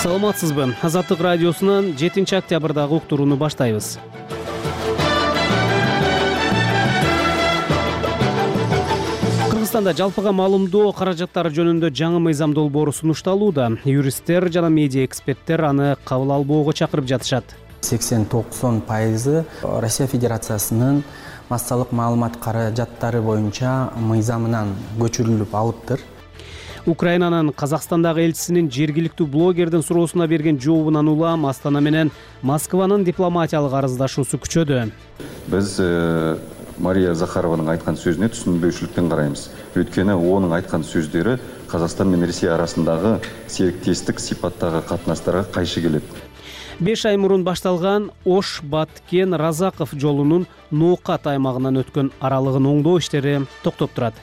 Саламатсызбы? Азаттык радиосунан 7-октябрдагы уктурууну баштайбыз. Кыргызстанда жалпыга маалымдоо каражаттары жөнүндө жаңы мыйзам долбоору сунушталууда. Юристтер жана медиа эксперттер аны кабыл албоого чакырып жатышат. 80-90% Россия Федерациясынын массалык маалымат каражаттары боюнча мыйзамынан көчүрүлүп алыптыр. Украинанын Казакстандагы элчисинин жергиликтүү блогердин суроосуна берген жообунан улам Астана менен Москванын дипломатиялык арыздашуусу күчөдү. Биз Мария Захарованын айткан сөзүнө түшүнбөйчүлүктөн карайбыз. Өйткөнү онун айткан сөздөрү Казакстан менен Россия арасындагы сериктестик сипаттагы катнаштарга кайшы келет. 5 ай мурун башталган Ош-Баткен-Разаков жолунун Ноокат аймагынан өткөн аралыгын оңдоо иштери токтоп турат.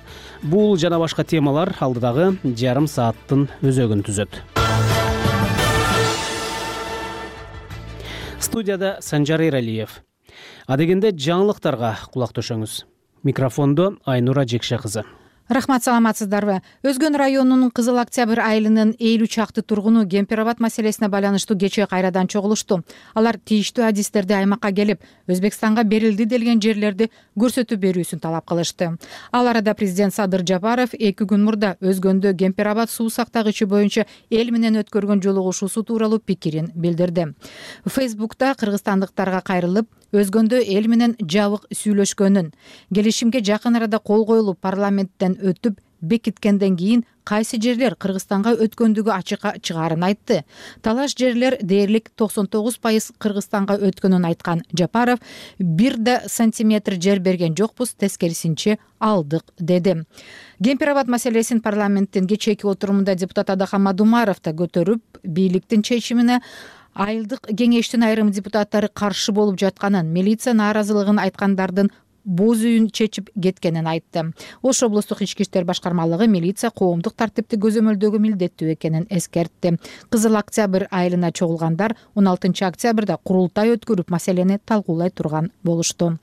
Бул жана башка темалар алдыдагы жарым сааттын өзөгүн түзөт. Студияда Санжар Эралиев. Адегенде жаңылыктарга кулак төшөңүз. Микрофондо Айнура Жекше кызы. Рахмат, саламатсыздарбы? Өзгөн районунун Кызыл Октябрь айылынын 50 чакты тургуну Кемпир-Абад маселесине байланыштуу кечээ кайрадан чогулушту. Алар тийиштүү адистерди аймакка келип, Өзбекстанга берилди делген жерлерди көрсөтүп берүүсүн талап кылышты. Ал арада президент Садыр Жапаров 2 күн мурда Өзгөндө Кемпир-Абад суу сактагычы боюнча эл менен өткөргөн жолугушуусу тууралуу пикирин билдирди. Фейсбукта кыргызстандыктарга кайрылып, Өзгөндө эл менен жабык сүйлөшкөнүн, келишимге жакын арада кол коюлуп парламенттен өтүп бекиткенден кийин кайсы жерлер Кыргызстанга өткөндүгү ачыкка чыгаарын айтты. Талаш жерлер дээрлик 99% Кыргызстанга өткөнүн айткан Жапаров, 1 сантиметр жер берген жокпуз, тескерисинче алдык деди. Кемпир-Абад маселесин парламенттин кечээки отурумунда депутат Адахан Мадумаров да көтөрүп, бийликтин чечимине айылдык кеңештин айрым депутаттары каршы болуп жатканын, милиция нааразылыгын айткандардын боз үйүн чечип кеткенин айтты. Ош облустук ички иштер башкармалыгы милиция коомдук тартипти көзөмөлдөгө милдеттүү экенин эскертти. Кызыл Октябрь айылына чогулгандар 16 октябрда курултай өткөрүп маселени талкуулай турган болушту.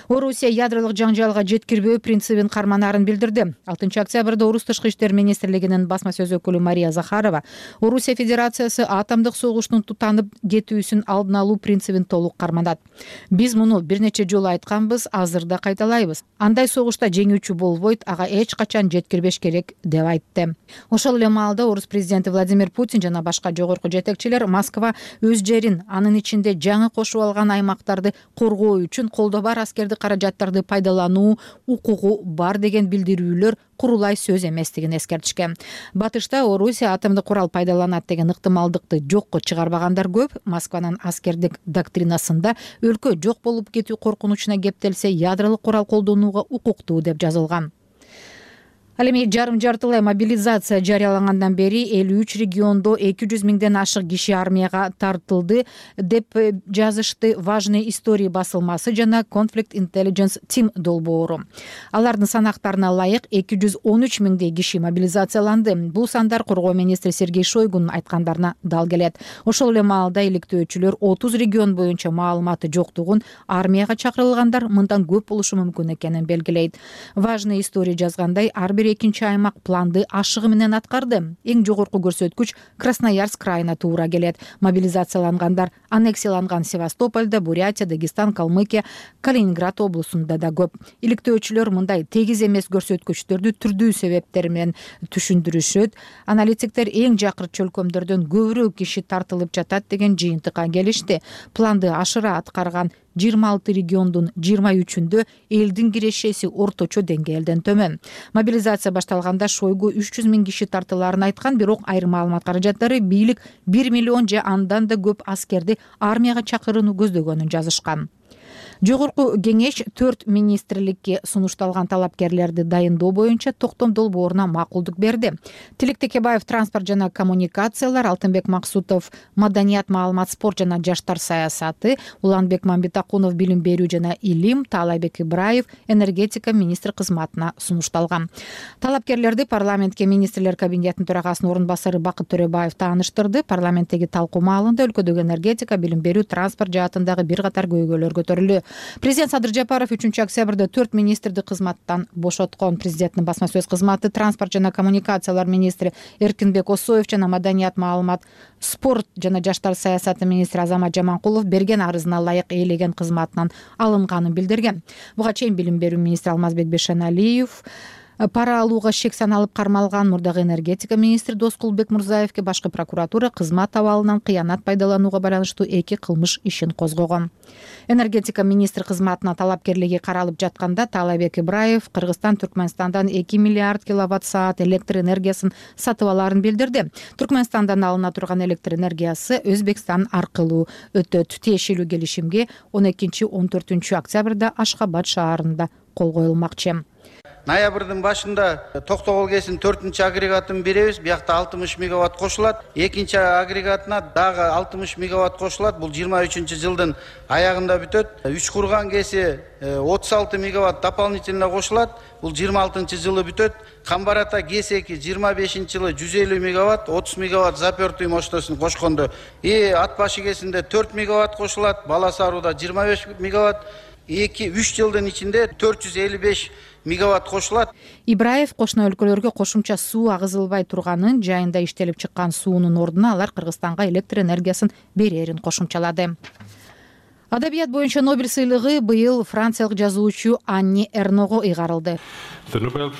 Орусия ядролук жаңжалга жеткирбөө принцибин карманаарын билдирди. 6 октябрда Орус тышкы иштер министрлигинин басма сөз өкүлү Мария Захарова Орусия Федерациясы атомдук согуштун тутанып кетүүсүн алдын алуу принцибин толук карманат. Биз муну бир нече жолу айтканбыз, азыр да кайталайбыз. Андай согушта жеңүүчү болбойт, ага эч качан жеткирбеш керек деп айтты. Ошол эле маалда Орус президенти Владимир Путин жана башка жогорку жетекчилер Москва өз жерин, анын ичинде жаңы кошуп алган аймактарды коргоо үчүн колдо бар аскердик каражаттарды пайдалануу укугу бар деген билдирүүлөр курулай сөз эместигин эскертишкен. Батышта Орусия атомдук курал пайдаланат деген ыктымалдыкты жокко чыгарбагандар көп. Москванын аскердик доктринасында өлкө жок болуп кетүү коркунучуна кептелсе, ядролук курал колдонууга укуктуу деп жазылган. Ал эми жарым-жартылай мобилизация жарыялангандан бери 53 региондо 200 миңден ашык киши армияга тартылды деп жазышты Важные истории басылмасы жана Conflict Intelligence Team долбоору. Алардын санактарына ылайык 213 миңдей киши мобилизацияланды. Бул сандар коргоо министри Сергей Шойгунун айткандарына дал келет. Ошол эле маалда иликтөөчүлөр 30 регион боюнча маалыматы жоктугун, армияга чакырылгандар мындан көп болушу мүмкүн экенин белгилейт. Важные истории жазгандай, экинчи аймак планды ашыгы менен аткарды. Эң жогорку көрсөткүч Красноярск крайына туура келет. Мобилизациялангандар аннексияланган Севастопольда, Бурятия, Дагестан, Калмыкия, Калининград облусунда да көп. Иликтөөчүлөр мындай тегиз эмес көрсөткүчтөрдү түрдүү себептер менен түшүндүрүшөт. Аналитиктер эң жакыр чөлкөмдөрдөн көбүрөөк киши тартылып жатат деген жыйынтыкка келишти. Планды ашыра аткарган 26 региондун 23-үндө элдин кирешеси орточо деңгээлден төмөн. Мобилизация башталганда Шойгу 300 миң киши тартылаарын айткан, бирок айрым маалымат каражаттары бийлик 1 миллион же андан да көп аскерди армияга чакырууну көздөгөнүн жазышкан. Жогорку кеңеш 4 министрликке сунушталган талапкерлерди дайындоо боюнча токтом долбооруна макулдук берди. Тилек Текебаев транспорт жана коммуникациялар, Алтынбек Максутов маданият, маалымат, спорт жана жаштар саясаты, Уланбек Мамбетакунов билим берүү жана илим, Таалайбек Ибраев энергетика министри кызматына сунушталган. Талапкерлерди парламентке министрлер кабинетинин төрагасынын орун басары Бакыт Төрөбаев тааныштырды. Парламенттеги талкуу маалында өлкөдөгү энергетика, билим берүү, транспорт жаатындагы бир катар көйгөйлөр көтөрүлдү. Президент Садыр Жапаров 3-октябрда 4 министрди кызматтан бошоткон. Президенттин басма сөз кызматы транспорт жана коммуникациялар министри Эркинбек Осоев жана маданият, маалымат, спорт жана жаштар саясаты министри Азамат Жаманкулов берген арызына ылайык ээлеген кызматынан алынганын билдирген. Буга чейин билим берүү министри Алмазбек Бешеналиев пара алууга шек саналып кармалган мурдагы энергетика министри Доскулбек Мурзаевке башкы прокуратура кызмат абалынан кыянат пайдаланууга байланыштуу 2 кылмыш ишин козгогон. Энергетика министри кызматына талапкерлиги каралып жатканда Таалайбек Ибраев Кыргызстан Түркмөнстандан 2 миллиард киловатт саат электр энергиясын сатып алаарын билдирди. Түркмөнстандан алына турган электр энергиясы Өзбекстан аркылуу өтөт. Тиешелүү келишимге 12-14 октябрда Ашхабад шаарында кол коюлмакчы. Ноябрдын башында Токтогул КЭСин 4-агрегатын беребиз. Биякта 60 мегаватт кошулат. Экинчи агрегатына дагы 60 мегаватт кошулат. Бул 23-жылдын аягында бүтөт. Үчкурган КЭСи 36 мегаватт дополнительно кошулат. Бул 26-жылы бүтөт. Камбарата КЭС-2 25-жылы 150 мегаватт, 30 мегаватт запертый мощностун кошкондо. Ат башы КЭСинде 4 мегаватт кошулат. Баласаруда 25 мегаватт. 2-3 жылдын ичинде 455 мегаватт кошулат. Ибраев кошуна өлкөлөргө кошумча суу агызылбай турганын, жайында иштелип чыккан суунун ордуна алар Кыргызстанга электр энергиясын берерин кошумчалады. Адабият боюнча Нобель сыйлыгы быйыл франциялык жазуучу Анни Эрного ыйгарылды. Сыйлык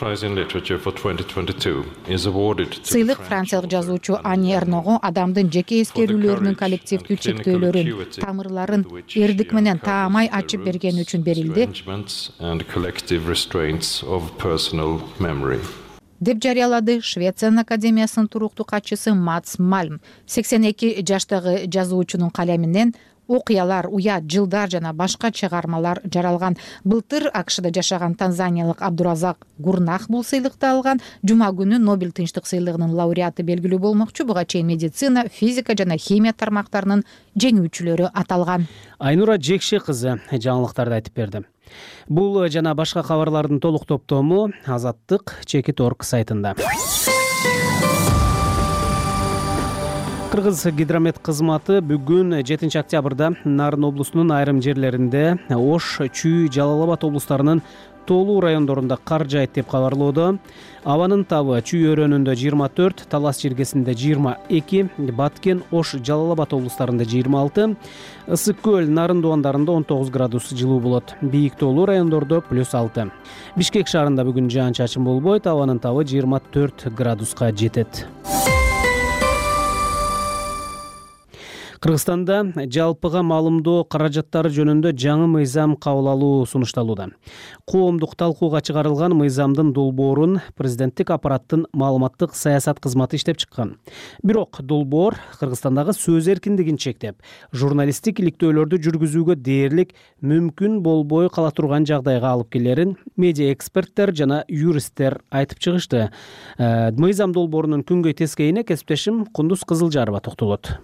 франциялык жазуучу Анни Эрного адамдын жеке эскерүүлөрүнүн коллективдүү чектөөлөрүн, тамырларын эрдик менен таамай ачып бергени үчүн берилди деп жарыялады Швециянын академиясынын туруктуу катчысы Мац Мальм. 82 жаштагы жазуучунун калеминен окуялар, уят, жылдар жана башка чыгармалар жаралган. Былтыр АКШда жашаган танзаниялык Абдуразак Гурнах бул сыйлыкты алган. Жума күнү Нобель тынчтык сыйлыгынын лауреаты белгилүү болмокчу. Буга чейин медицина, физика жана химия тармактарынын жеңүүчүлөрү аталган. Айнура Жекше кызы жаңылыктарды айтып берди. Бул жана башка кабарлардын толук топтому Азаттык Чекит.орг сайтында. Кыргыз гидромет кызматы бүгүн 7-октябрда Нарын облусунун айрым жерлеринде Ош, Чүй, Жалал Абад облустарынын тоолуу райондорунда кар жаайт деп кабарлоодо. Абанын табы Чүй өрөөнүндө 24, Талас жергесинде 22, Баткен, Ош, Жалал Абад облустарында 26, Ысык көл, Нарын дубандарында 19 градус жылуу болот. Бийик тоолуу райондордо +6. Бишкек шаарында бүгүн жаан-чачын болбойт. Абанын табы 24 градуска жетет. Кыргызстанда жалпыга маалымдоо каражаттары жөнүндө жаңы мыйзам кабыл алуу сунушталууда. Коомдук талкууга чыгарылган мыйзамдын долбоорун президенттик аппараттын маалыматтык саясат кызматы иштеп чыккан. Бирок долбоор Кыргызстандагы сөз эркиндигин чектеп, журналисттик иликтөөлөрдү жүргүзүүгө дээрлик мүмкүн болбой кала турган жагдайга алып келерин медиа эксперттер жана юристтер айтып чыгышты. Мыйзам долбоорунун күнгөй тескейине кесиптешим Кундуз Кызылжарова токтолот.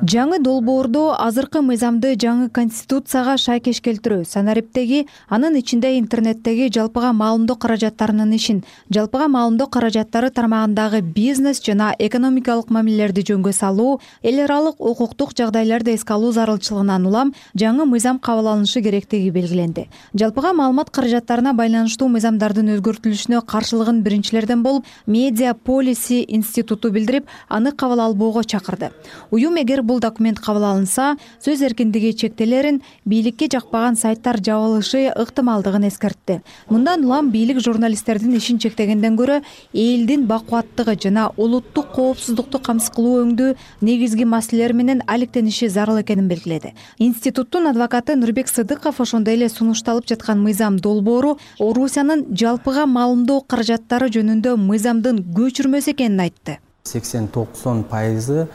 Жаңы долбоордо азыркы мыйзамды жаңы конституцияга шайкеш келтирүү, санариптеги, анын ичинде интернеттеги жалпыга маалымдоо каражаттарынын ишин, жалпыга маалымдоо каражаттары тармагындагы бизнес жана экономикалык мамилелерди жөнгө салуу, эл аралык укуктук жагдайларды эске алуу зарылчылыгынан улам жаңы мыйзам кабыл алынышы керектиги белгиленди. Жалпыга маалымат каражаттарына байланыштуу мыйзамдардын өзгөртүлүшүнө каршылыгын биринчилерден болуп, Media Policy институту билдирип, аны кабыл албоого чакырды. Уюм эгер бул документ кабыл алынса, сөз эркиндиги чектелерин, бийликке жакпаган сайттар жабылышы ыктымалдыгын эскертти. Мындан улам бийлик журналисттердин ишин чектегенден көрө, элдин бакубаттыгы жана улуттук коопсуздукту камсыз кылуу өңдүү негизги маселелер менен алектениши зарыл экенин белгиледи. Институттун адвокаты Нурбек Сыдыков ошондой эле сунушталып жаткан мыйзам долбоору Орусиянын жалпыга маалымдоо каражаттары жөнүндө мыйзамдын көчүрмөсү экенин айтты. 80-90%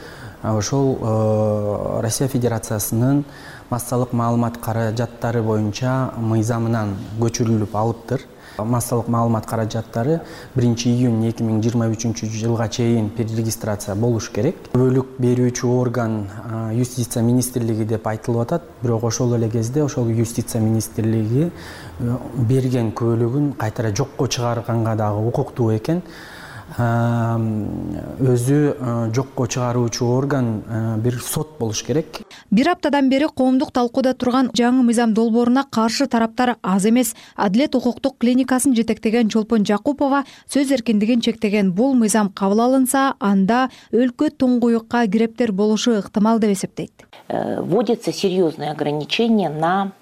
ошол Россия Федерациясынын массалык маалымат каражаттары боюнча мыйзамынан көчүрүлүп алыптыр. Массалык маалымат каражаттары 1-июнь 2023-жылга чейин перерегистрация болуш керек. Бөлүк берүүчү орган юстиция министрлиги деп айтылып атат, бирок ошол эле кезде ошол юстиция министрлиги берген көөлөгүн кайтара жокко чыгарганга дагы укуктуу экен. өзү жокко чыгаруучу орган бир сот болуш керек. Бир аптадан бери коомдук талкууда турган жаңы мыйзам долбооруна каршы тараптар аз эмес. Адилет укуктук клиникасын жетектеген Чолпон Жакупова сөз эркиндигин чектеген бул мыйзам кабыл алынса, анда өлкө туңгуюкка кирептер болушу ыктымал деп эсептейт. Вводятся серьезные ограничения на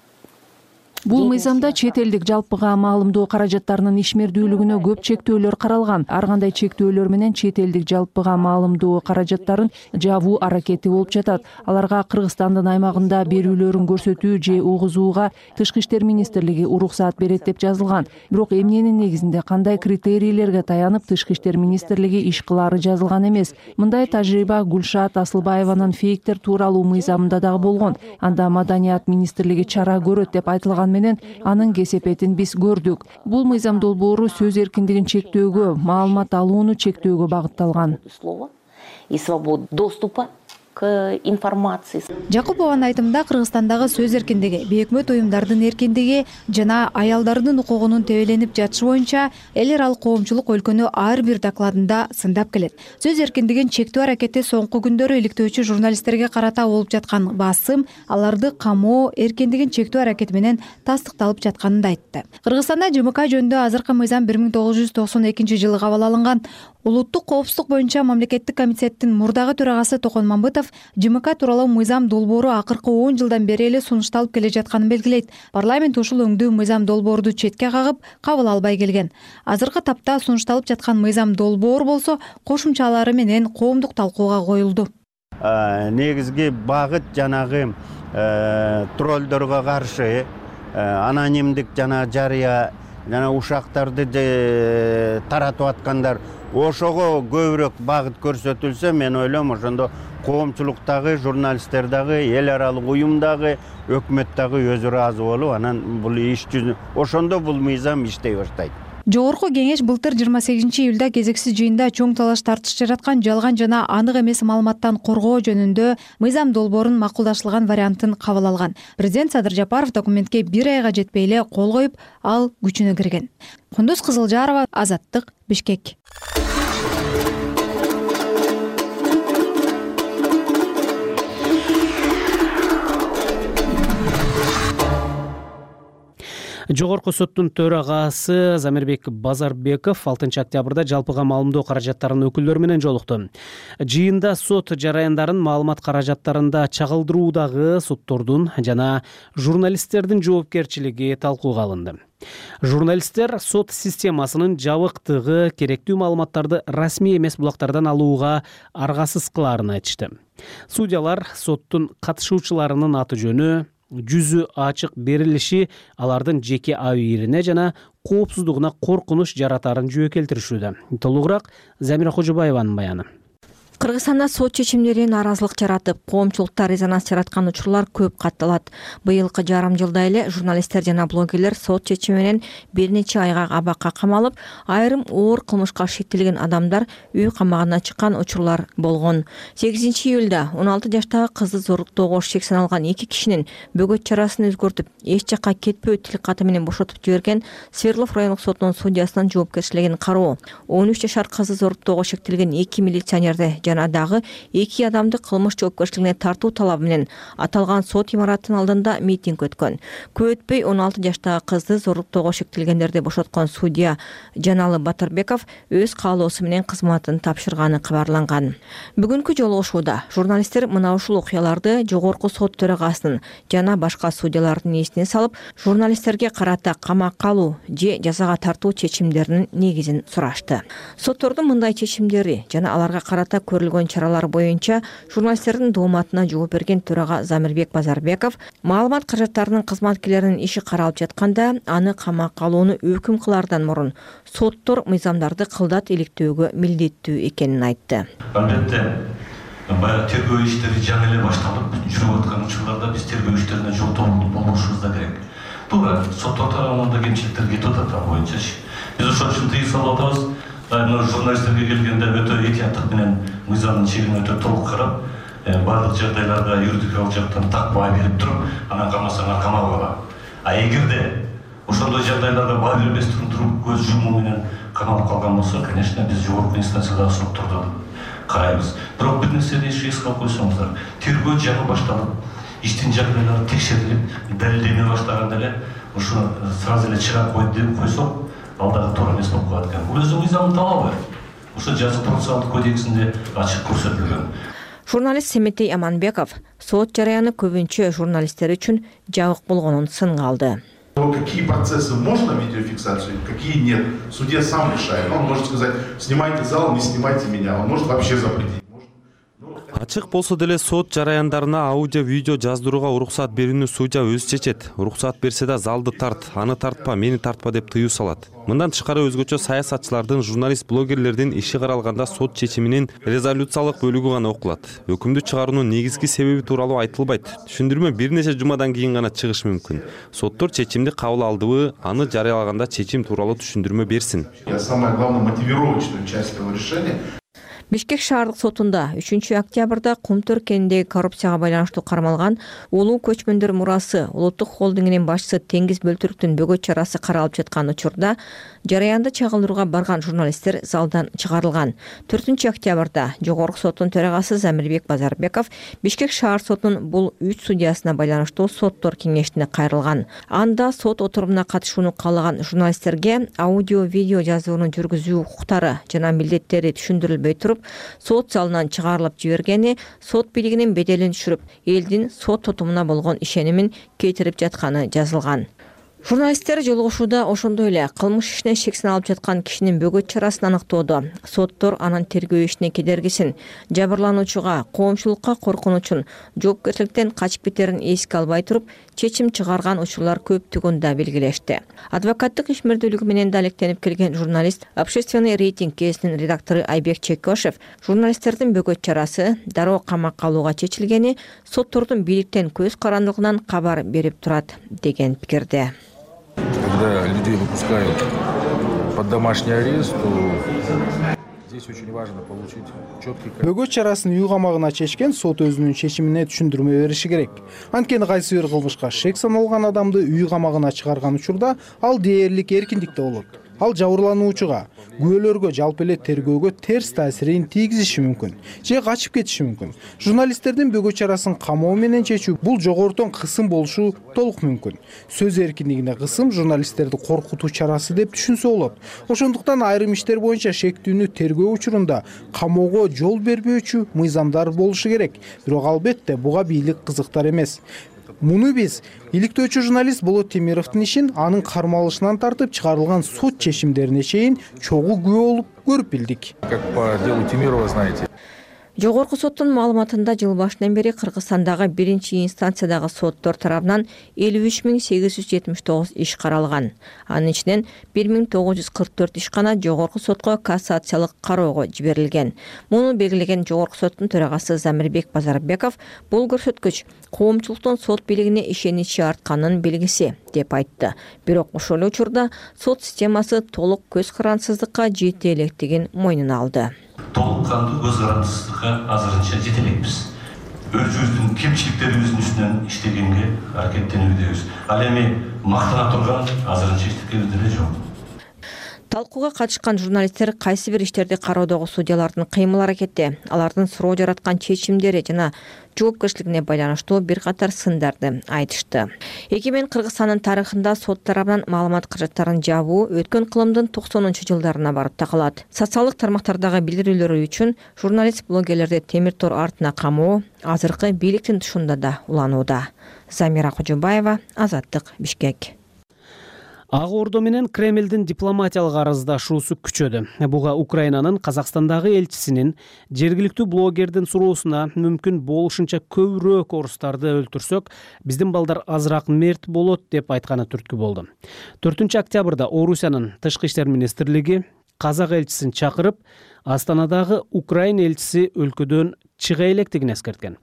Бул мыйзамда чет элдик жалпыга маалымдоо каражаттарынын ишмердүүлүгүнө көп чектөөлөр каралган. Ар кандай чектөөлөр менен чет элдик жалпыга маалымдоо каражаттарын жабуу аракети болуп жатат. Аларга Кыргызстандын аймагында берүүлөрүн көрсөтүү же угузууга Тышкы иштер министрлиги уруксаат берет деп жазылган. Бирок эмненин негизинде кандай критерийлерге таянып Тышкы иштер министрлиги иш кылаары жазылган эмес. Мындай тажрыйба Гүлшат Асылбаеванын фейктер тууралуу мыйзамында дагы болгон. Анда Маданият министрлиги чара көрөт деп айтылган менен анын кесепетин биз көрдүк. Бул мыйзам долбоору сөз эркиндигин чектөөгө, маалымат алууну чектөөгө багытталган. И свободу доступа к информации. Жакупованын айтымында Кыргызстандагы сөз эркиндиги, бейөкмөт уюмдардын эркиндиги жана аялдардын укугунун тебеленип жатышы боюнча эл аралык коомчулук өлкөнү ар бир докладында сындап келет. Сөз эркиндигин чектөө аракети соңку күндөрү иликтөөчү журналисттерге карата болуп жаткан басым, аларды камоо эркиндигин чектөө аракети менен тастыкталып жатканын да айтты. Кыргызстанда ЖМК жөнүндө азыркы мыйзам 1992 жылы кабыл алынган. Улуттук коопсуздук боюнча мамлекеттик комитеттин мурдагы төрагасы Токон Мамбытов ЖМК тууралуу мыйзам долбоору акыркы 10 жылдан бери эле сунушталып келе жатканын белгилейт. Парламент ушул өңдүү мыйзам долбоорду четке кагып, кабыл албай келген. Азыркы тапта сунушталып жаткан мыйзам долбоор болсо кошумчалары менен коомдук талкууга коюлду. Негизги багыт жанагы троллдорго каршы анонимдик жана жарыя жана ушактарды таратып аткандар ошого көбүрөөк багыт көрсөтүлсө, мен ойлойм ошондо коомчулуктагы, журналисттер дагы, эл аралык уюм дагы, өкмөт дагы өзү ыраазы болуп, анан бул иш жүзү ошондо бул мыйзам иштей баштайт. Жогорку кеңеш былтыр 28 июлда кезексиз жыйында чоң талаш тартыш жараткан жалган жана анык эмес маалыматтан коргоо жөнүндө мыйзам долбоорун макулдашылган вариантын кабыл алган. Президент Садыр Жапаров документке 1 айга жетпей эле кол коюп, ал күчүнө кирген. Кундуз Кызылжарова, Азаттык, Бишкек. Жогорку соттун төрагасы Замирбек Базарбеков 6 октябрда жалпыга маалымдоо каражаттарынын өкүлдөрү менен жолукту. Жыйында сот жараяндарын маалымат каражаттарында чагылдыруудагы суддордун жана журналисттердин жоопкерчилиги талкууга алынды. Журналисттер сот системасынын жабыктыгы керектүү маалыматтарды расмий эмес булактардан алууга аргасыз кылаарын айтышты. Судьялар соттун катышуучуларынын аты жөнү, жүзү ачык берилиши алардын жеке абийирине жана коопсуздугуна коркунуч жаратаарын жөө келтиришүүдө. Толугураак Замира Кожобаеванын баяны. Кыргызстанда сот чечимдерин наразылык жаратып, коомчулукта резонанс жараткан учурлар көп катталат. Быйылкы жарым жылда эле журналисттер жана блогерлер сот чечими менен бир нече айга абакка камалып, айрым оор кылмышка шектелген адамдар үй камагына чыккан учурлар болгон. 8 июлда 16 жаштагы кызды зорлуктоого шек саналган 2 кишинин бөгөт чарасын өзгөртүп, эч жакка кетпөө тил каты менен бошотуп жиберген Свердлов райондук сотунун судьясынын жоопкерчилигин кароо. 13 жашар кызды зорлуктоого шектелген 2 милиционерди жана дагы 2 адамды кылмыш жоопкерчилигине тартуу талабы менен аталган сот имаратынын алдында митинг өткөн. Көп өтпөй 16 жаштагы кызды зорлуктоого шектелгендерди бошоткон судья Жаналы Батырбеков өз каалоосу менен кызматын тапшырганы кабарланган. Бүгүнкү жолугушууда журналисттер мына ушул окуяларды жогорку сот төрагасынын жана башка судьялардын эсине салып, журналисттерге карата камакка алуу же жазага тартуу чечимдеринин негизин сурашты. Соттордун мындай чечимдери жана аларга карата көрүлгөн чаралар боюнча журналисттердин дооматына жооп берген төрага Замирбек Базарбеков маалымат каражаттарынын кызматкерлеринин иши каралып жатканда аны камакка алууну өкүм кылаардан мурун соттор мыйзамдарды кылдат иликтөөгө милдеттүү экенин айтты. Албетте, баягы тергөө иштери жаңы эле башталып жүрүп аткан учурларда биз тергөө иштерине жоктолук болушубуз да керек. Туура, соттор тарабынан да кемчиликтер кетип атат ал боюнча. Биз ошол үчүн тыюу салып атабыз. Журналисттерге келгенде өтө этияттык менен мыйзамдын чегин өтө толук карап, бардык жагдайларга юридикалык жактан так баа берип туруп, анан камасаңар камап алган. А эгерде ошондой жагдайларга баа бербестен туруп көз жумуу менен каналып калган болсо, конечно, биз жогорку инстанциядагы соттордо карайбыз. Бирок бир нерседи эске салып койсоңуздар, тергөө жаңы башталып, иштин жагдайлары текшерилип, далилдене баштаганда эле ушу сразу эле чыга койсок, ал дагы туура эмес болуп калат экен. Бул өзү мыйзамдын талабы. Ошо жаза процессуалдык кодексинде ачык көрсөтүлгөн. Журналист Семетей Аманбеков сот жараяны көбүнчө журналисттер үчүн жабык болгонун сынга алды. Какие процессы можно видеофиксацию, какие нет. Судья сам решает. Он может сказать, снимайте зал, не снимайте меня. Он может вообще запретить. Ачык болсо деле сот жараяндарына аудио видео жаздырууга уруксат берүүнү судья өзү чечет. Уруксат берсе да залды тарт, аны тартпа, мени тартпа деп тыюу салат. Мындан тышкары өзгөчө саясатчылардын, журналист, блогерлердин иши каралганда сот чечиминин резолюциялык бөлүгү гана окулат. Өкүмдү чыгаруунун негизги себеби тууралуу айтылбайт. Түшүндүрмө бир нече жумадан кийин гана чыгышы мүмкүн. Соттор чечимди кабыл алдыбы, аны жарыялаганда чечим тууралуу түшүндүрмө берсин. Самое главное, мотивировочную часть этого решения. Бишкек шаардык сотунда 3 октябрда Кумтөр кеніндегі коррупцияга байланыштуу кармалган улуу көчмөндөр мурасы улуттук холдингинин башчысы Теңиз Бөлтүрүктүн бөгөт чарасы каралып жаткан учурда жараянды чагылдырууга барган журналисттер залдан чыгарылган. 4 октябрда Жогорку соттун төрагасы Замирбек Базарбеков Бишкек шаар сотунун бул 3 судьясына байланыштуу соттор кеңешине кайрылган. Анда сот отурумуна катышууну каалаган журналисттерге аудио-видео жазуунун жүргүзүү укуктары жана милдеттери түшүндүрүлбөй туруп, сот залынан чыгарылып жибергени сот бийлигинин беделин түшүрүп, элдин сот тутумуна болгон ишенимин кетирип жатканы жазылган. Журналисттер жолугушууда ошондой эле кылмыш ишине шексин алып жаткан кишинин бөгөт чарасын аныктоодо соттор анын тергөө ишине кедергисин, жабырлануучуга, коомчулукка коркунучун, жоопкерчиликтен качып кетерин эске албай туруп, чечим чыгарган учурлар көптүгүн да белгилешти. Адвокаттык ишмердүүлүгү менен да алектенип келген журналист, Общественный рейтинг гезитинин редактору Айбек Чекошев журналисттердин бөгөт чарасы дароо камакка алууга чечилгени соттордун бийликтен көз карандылыгынан кабар берип турат деген пикирде. Когда людей выпускают под домашний арест, то здесь очень важно получить четкий... Бөгөт чарасын үй камагына чечкен сот өзүнүн чечимине түшүндүрмө бериши керек. Анткени кайсы бир кылмышка шек саналган адамды үй камагына чыгарган учурда ал дээрлик эркиндикте болот. Ал жабырлануучуга, күбөлөргө, жалпы эле тергөөгө терс таасирин тийгизиши мүмкүн же качып кетиши мүмкүн. Журналисттердин бөгөт чарасын камоо менен чечүү бул жогорудон кысым болушу толук мүмкүн. Сөз эркиндигине кысым журналисттерди коркутуу чарасы деп түшүнсө болот. Ошондуктан айрым иштер боюнча шектүүнү тергөө учурунда камоого жол бербөөчү мыйзамдар болушу керек. Бирок албетте буга бийлик кызыктар эмес. Муну биз иликтөөчү журналист Болот Темировдун ишин анын кармалышынан тартып чыгарылган сот чечимдерине чейин чогуу күбө болуп көрүп билдик. Как по делу Темирова, знаете. Жогорку соттун маалыматында жыл башынан бери Кыргызстандагы 1-инстанциядагы соттор тарабынан 53.879 иш каралган. Анын ичинен 1944 иш гана жогорку сотко кассациялык кароого жиберилген. Муну белгилеген жогорку соттун төрагасы Замирбек Базарбеков бул көрсөткүч коомчулуктун сот бийлигине ишеничи артканын белгиси деп айтты. Бирок ошол эле учурда сот системасы толук көз карансыздыкка жете электигин мойнуна алды. Толук кандуу көз карансыздыкка азырынча жете элекпиз. Өзүбүздүн кемчиликтерибиздин үстүнөн иштегенге аракеттенүүдөбүз. Ал эми мактана турган азырынча иштегенибиз деле жок. Талкууга катышкан журналисттер кайсы бир иштерди кароодогу судьялардын кыймыл аракети, алардын суроо жараткан чечимдери жана жоопкерчилигине байланыштуу бир катар сындарды айтышты. Эгемен Кыргызстандын тарыхында сот тарабынан маалымат каражаттарын жабуу өткөн кылымдын 90-жылдарына барып такалат. Социалдык тармактардагы билдирүүлөрү үчүн журналист блогерлерди темир тор артына камоо азыркы бийликтин тушунда да уланууда. Замира Кожобаева, Азаттык, Бишкек. Ак Ордо менен Кремлдин дипломатиялык арыздашуусу күчөдү. Буга Украинанын Казакстандагы элчисинин жергиликтүү блогердин суроосуна мүмкүн болушунча көбүрөөк орустарды өлтүрсөк, биздин балдар азыраак мерт болот деп айтканы түрткү болду. 4 октябрда Орусиянын Тышкы иштер министрлиги казак элчисин чакырып, Астанадагы Украин элчиси өлкөдөн чыга электигин эскерткен.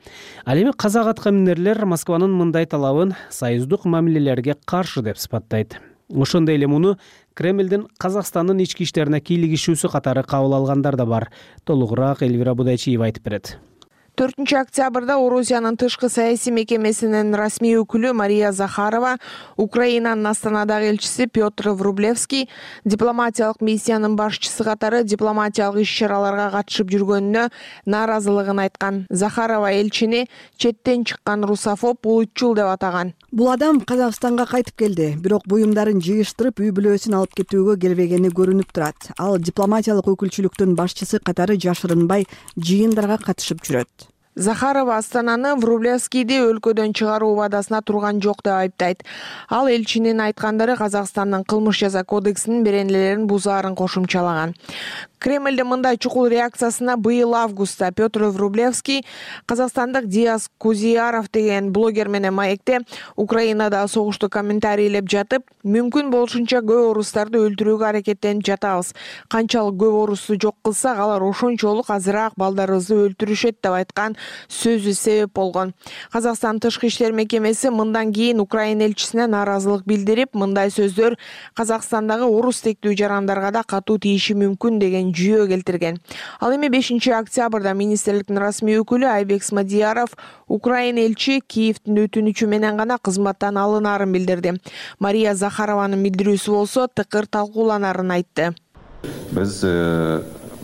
Ал эми казак аткаминерлер Москванын мындай талабын союздук мамилелерге каршы деп сыпаттайт. Ошондой эле муну Кремлдин Казакстандын ички иштерине кийлигишүүсү катары кабыл алгандар да бар. Толугураак Элвира Будайчиева айтып берет. 4 октябрда Орусиянын тышкы саясий мекемесинин расмий өкүлү Мария Захарова, Украинанын Астанадагы элчиси Петр Врублевский, дипломатиялык миссиянын башчысы катары дипломатиялык иш-чараларга катышып жүргөнүнө нааразылыгын айткан. Захарова элчини четтен чыккан русофоб, улутчул деп атаган. Бул адам Казакстанга кайтып келди, бирок буюмдарын жыйыштырып үй бүлөсүн алып кетүүгө келбегени көрүнүп турат. Ал дипломатиялык өкүлчүлүктүн башчысы катары жашырынбай жыйындарга катышып жүрөт. Захарова Астананы Врублевскийди өлкөдөн чыгаруу убадасына турган жок деп айыптайт. Ал элчинин айткандары Казакстандын кылмыш жаза кодексинин беренелерин бузаарын кошумчалаган. Кремлдин мындай чукул реакциясына быйыл августта Петр Врублевский казакстандык Диас Кузияров деген блогер менен маекте Украинада согушту комментарийлеп жатып, мүмкүн болушунча көп орустарды өлтүрүүгө аракеттенип жатабыз. Канчалык көп орусту жок кылсак, алар ошончолук азыраак балдарыбызды өлтүрүшөт деп айткан сөзү себеп болгон. Казакстан тышкы иштер мекемеси мындан кийин Украина элчисине нааразылык билдирип, мындай сөздөр Казакстандагы орус тектүү жарандарга да катуу тийиши мүмкүн деген жүйө келтирген. Ал эми 5 октябрда министрликтин расмий өкүлү Айбек Смадияров Украина элчи Киевдин өтүнүчү менен гана кызматтан алынаарын билдирди. Мария Захарованын билдирүүсү болсо тыкыр талкууланарын айтты. Биз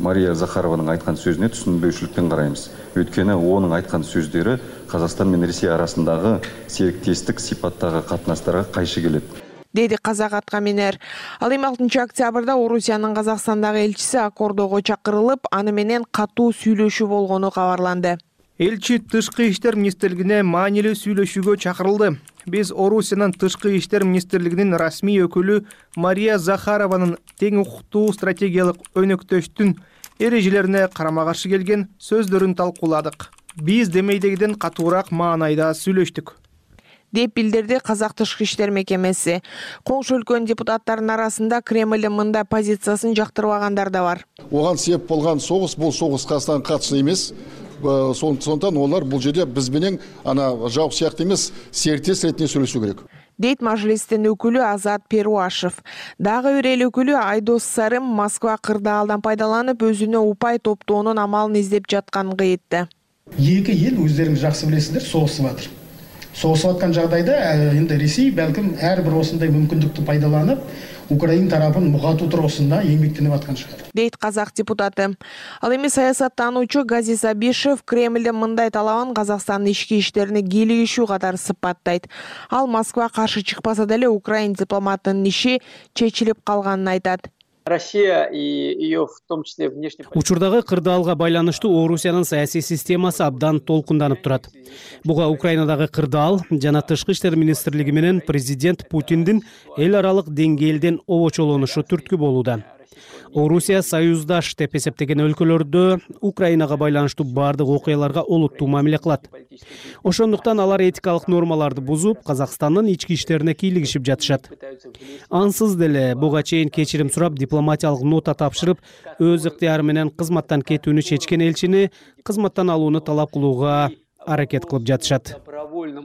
Мария Захарованын айткан сөзүнө түшүнбөйчүлүктөн карайбыз. Өткөнү онун айткан сөздөрү Казакстан менен Россия арасындагы сериктестик сипаттагы катнаштарга кайшы келет, деди казак аткаминер. Ал эми 6 октябрда Орусиянын Казакстандагы элчиси аккордого чакырылып, аны менен катуу сүйлөшүү болгону кабарланды. Элчи тышкы иштер министрлигине маанилүү сүйлөшүүгө чакырылды. Биз Орусиянын тышкы иштер министрлигинин расмий өкүлү Мария Захарованын тең укуктуу стратегиялык өнөктөштүн эрежелерине карама-каршы келген сөздөрүн талкууладык. Биз демейдегиден катуураак маанайда сүйлөштүк, деп билдирди Казак тышкы иштер мекемеси. Коңшу өлкөнүн депутаттарынын арасында Кремлдин мындай позициясын жактырбагандар да бар. Оган себеп болгон согуш, бул согуш Казакстанга катыштуу эмес. Сондықтан олар бұл жерде біз менен жауық сияқты емес, серіктес ретінде сөйлесу керек. Дейт мажлистин өкүлү Азат Перуашев. Дагы бир эл өкүлү Айдос Сарым Москва кырдаалдан пайдаланып өзүнө упай топтоонун амалын издеп жатканын айтты. Эки эл өздөрүңүз жакшы билесиздер, согушуп атыр. Согушуп аткан жагдайда эми Ресей балким ар бир осундай мүмкүндүктү пайдаланып, Украина тарапын мугатуу туругусунда эмгектенип аткан шаар. Дейт казак депутаты. Ал эми саясаттануучу Газиз Абишев Кремлдин мындай талабын Казакстандын ички иштерине кийлигишүү катары сыпаттайт. Ал Москва каршы чыкпаса деле Украина дипломатынын иши чечилип калганын айтат. Россия и ее в том числе внешне. Учурдагы кырдаалга байланыштуу Орусиянын саясий системасы абдан толкунданып турат. Буга Украинадагы кырдаал жана тышкы иштер министрлиги менен президент Путиндин эл аралык деңгээлден обочолонушу түрткү болууда. Орусия союздаш деп эсептеген өлкөлөрдө Украинага байланыштуу бардык окуяларга олуттуу мамиле кылат. Ошондуктан алар этикалык нормаларды бузуп, Казакстандын ички иштерине кийлигишип жатышат. Ансыз деле буга чейин кечирим сурап, дипломатиялык нота тапшырып, өз ыктыяры менен кызматтан кетүүнү чечкен элчини кызматтан алууну талап кылууга аракет кылып жатышат.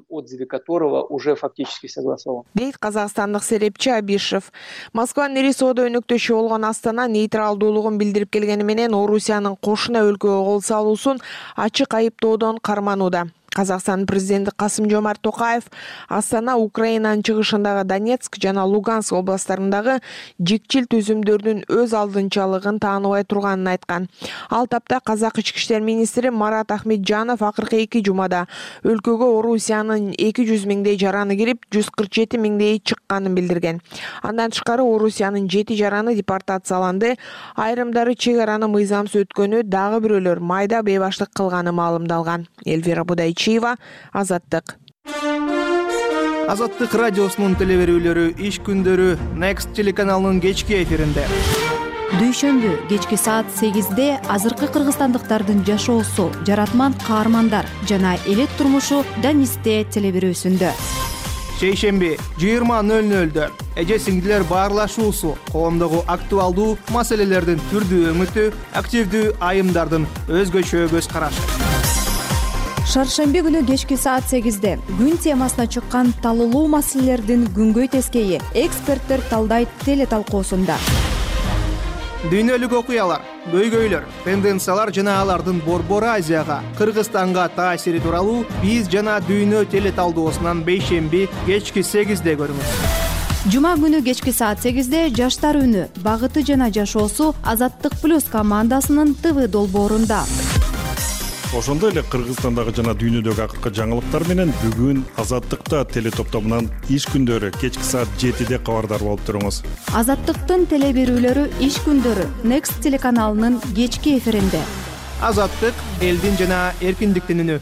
Отзыве которого уже фактически согласован. Дейт казакстандык серепчи Абишев. Москванын ири соода өнөктөшү болгон Астана нейтралдуулугун билдирип келгени менен Орусиянын кошуна өлкөгө кол салуусун ачык айыптоодон карманууда. Казакстан президенти Касым-Жомарт Токаев Астана Украинанын чыгышындагы Донецк жана Луганск областтарындагы жикчил түзүмдөрдүн өз алдынчалыгын тааныбай турганын айткан. Ал тапта казак ички иштер министри Марат Ахметжанов акыркы 2 жумада өлкөгө Орусиянын 200 миңдей жараны кирип, 147 миңдей чыкканын билдирген. Андан тышкары Орусиянын 7 жараны депортацияланды, айрымдары чек араны мыйзамсыз өткөнү, дагы бирөөлөр майда бейбаштык кылганы маалымдалган. Эльвира Будайчиева, Азаттык. Азаттык радиосунун телеберүүлөрү иш күндөрү Next телеканалынын кечки эфиринде. Дүйшөмбү кечки саат 8-де азыркы кыргызстандыктардын жашоосу, жаратман каармандар жана элек турмушу Данисте телеберүүсүндө. Шейшемби 20:00-дө эже сиңдилер баарлашуусу, коомдогу актуалдуу маселелердин түрдүү өңүтү, активдүү айымдардын өзгөчө көз карашы. Шаршемби күнү кечки саат 8-де күн темасына чыккан талуулуу маселелердин күнгөй тескейи эксперттер талдайт теле талкуусунда. Дүйнөлүк окуялар, көйгөйлөр, тенденциялар жана алардын Борбор Азияга, Кыргызстанга таасири тууралуу биз жана Дүйнө телеталдоосунан бейшемби кечки 8-де көрүңүз. Жума күнү кечки саат 8-де жаштар үнү, багыты жана жашоосу Азаттык плюс командасынын ТВ долбоорунда. Ошондой эле Кыргызстандагы жана дүйнөдөгү акыркы жаңылыктар менен бүгүн Азаттыкта телетоптомунан иш күндөрү кечки саат 7-де кабардар болуп туруңуз. Азаттыктын теле берүүлөрү иш күндөрү Next телеканалынын кечки эфиринде. Азаттык элдин жана эркиндиктин үнү.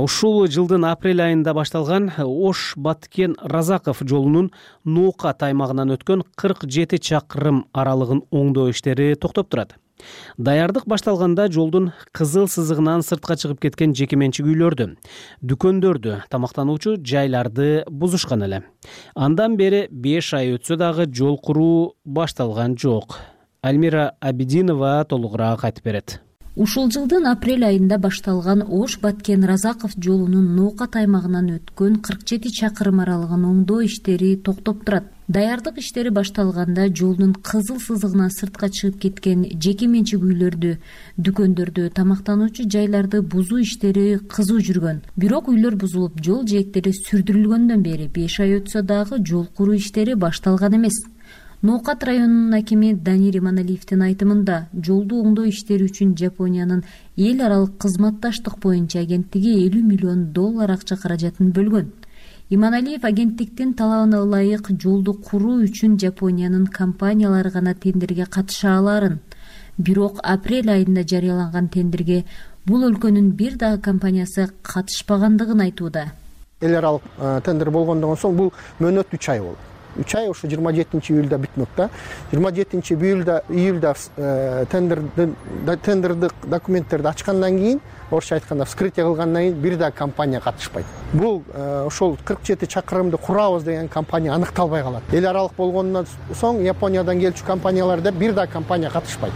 Ушул жылдын апрель айында башталган Ош Баткен Разаков жолунун Ноокат аймагынан өткөн 47 чакырым аралыгын оңдоо иштери токтоп турат. Даярдык башталганда жолдун кызыл сызыгынан сыртка чыгып кеткен жеке менчик үйлөрдү, дүкөндөрдү, тамактануучу жайларды бузушкан эле. Андан бери 5 ай өтсө дагы жол куруу башталган жок. Альмира Абидинова толугураак айтып берет. Ушул жылдын апрель айында башталган Ош Баткен Разаков жолунун Ноокат аймагынан өткөн 47 чакырым аралыгын оңдоо иштери токтоп турат. Даярдык иштери башталганда жолдун кызыл сызыгынан сыртка чыгып кеткен жеке менчик үйлөрдү, дүкөндөрдү, тамактануучу жайларды бузуу иштери кызуу жүргөн. Бирок үйлөр бузулуп, жол жээктери сүрдүрүлгөндөн бери 5 ай өтсө дагы жол куруу иштери башталган эмес. Ноокат районунун акими Данир Иманалиевдин айтымында, жолду оңдоо иштери үчүн Жапониянын эл аралык кызматташтык боюнча агенттиги $50 миллион акча каражатын бөлгөн. Иманалиев агенттиктин талабына ылайык жолду куруу үчүн Жапониянын компаниялары гана тендерге катыша аларын. Бирок апрель айында жарыяланган тендерге бул өлкөнүн бир дагы компаниясы катышпагандыгын айтууда. Эл аралык тендер болгондон соң бул мөөнөт 3 ай болду. 3 ай ушу 27 июлда бүтмөк да. 27 июлда тендердик документтерди ачкандан кийин, орусча айтканда вскрытие кылгандан кийин бир да компания катышпайт. Бул ошол 47 чакырымды курабыз деген компания аныкталбай калат. Эл аралык болгондон соң Япониядан келчү компанияларда бир да компания катышпайт.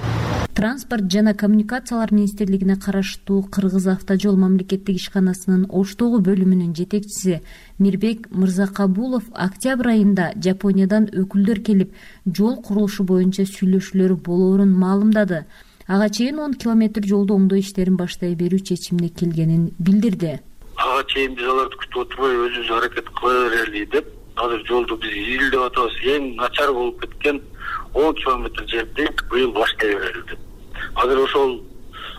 Транспорт жана коммуникациялар министрлигине караштуу Кыргыз автожол мамлекеттик ишканасынын Оштогу бөлүмүнүн жетекчиси Мирбек Мырзакабулов октябрь айында Жапониядан өкүлдөр келип, жол курулушу боюнча сүйлөшүүлөр болоорун маалымдады. Ага чейин 10 километр жолду оңдоо иштерин баштай берүү чечимине келгенин билдирди. Ага чейин биз аларды күтүп отурбай өзүбүз аракет кыла берели деп, азыр жолду биз июльдеп атабыз. Эң начар болуп кеткен 10 километр жерди быйыл баштай берели деп. Азыр ошол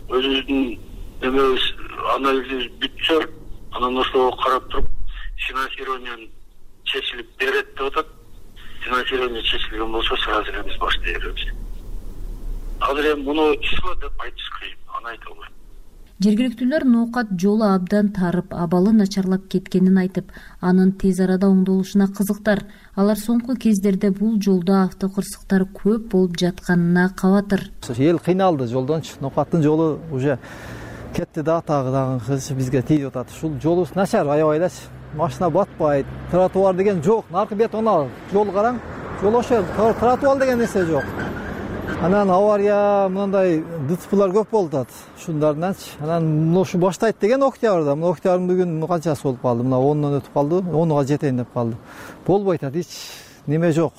өзүбүздүн эмебиз анализибиз бүтсө, анан ошого карап туруп финансирование чечилип берет деп атат. Финансирование чечилген болсо сразу эле биз баштай беребиз. Азыр эми муну ишла деп айтыш кыйын, аны айта албайм. Жергиликтүүлөр Ноокат жолу абдан тарып, абалы начарлап кеткенин айтып, анын тез арада оңдолушуна кызыктар. Алар соңку кездерде бул жолдо автокырсыктар көп болуп жатканына кабатыр. Эл кыйналды жолдончу. Ноокаттын жолу уже кетти дагы бизге тийип атат. Ушул жолубуз начар, аябайлачы. Машина батпайт, тротуар деген жок. Наркы бетон жол караң. Жол ошо тротуар деген нерсе жок. Анан авария мындай ДЦПлар көп болуп атат. Ушундарданчы. Анан ушу баштайт деген октябрда. Мына октябрдын бүгүн канчасы болуп калды? Мына 10дон өтүп калды. 10га жетейин деп калды. Болбой атат, эч неме жок.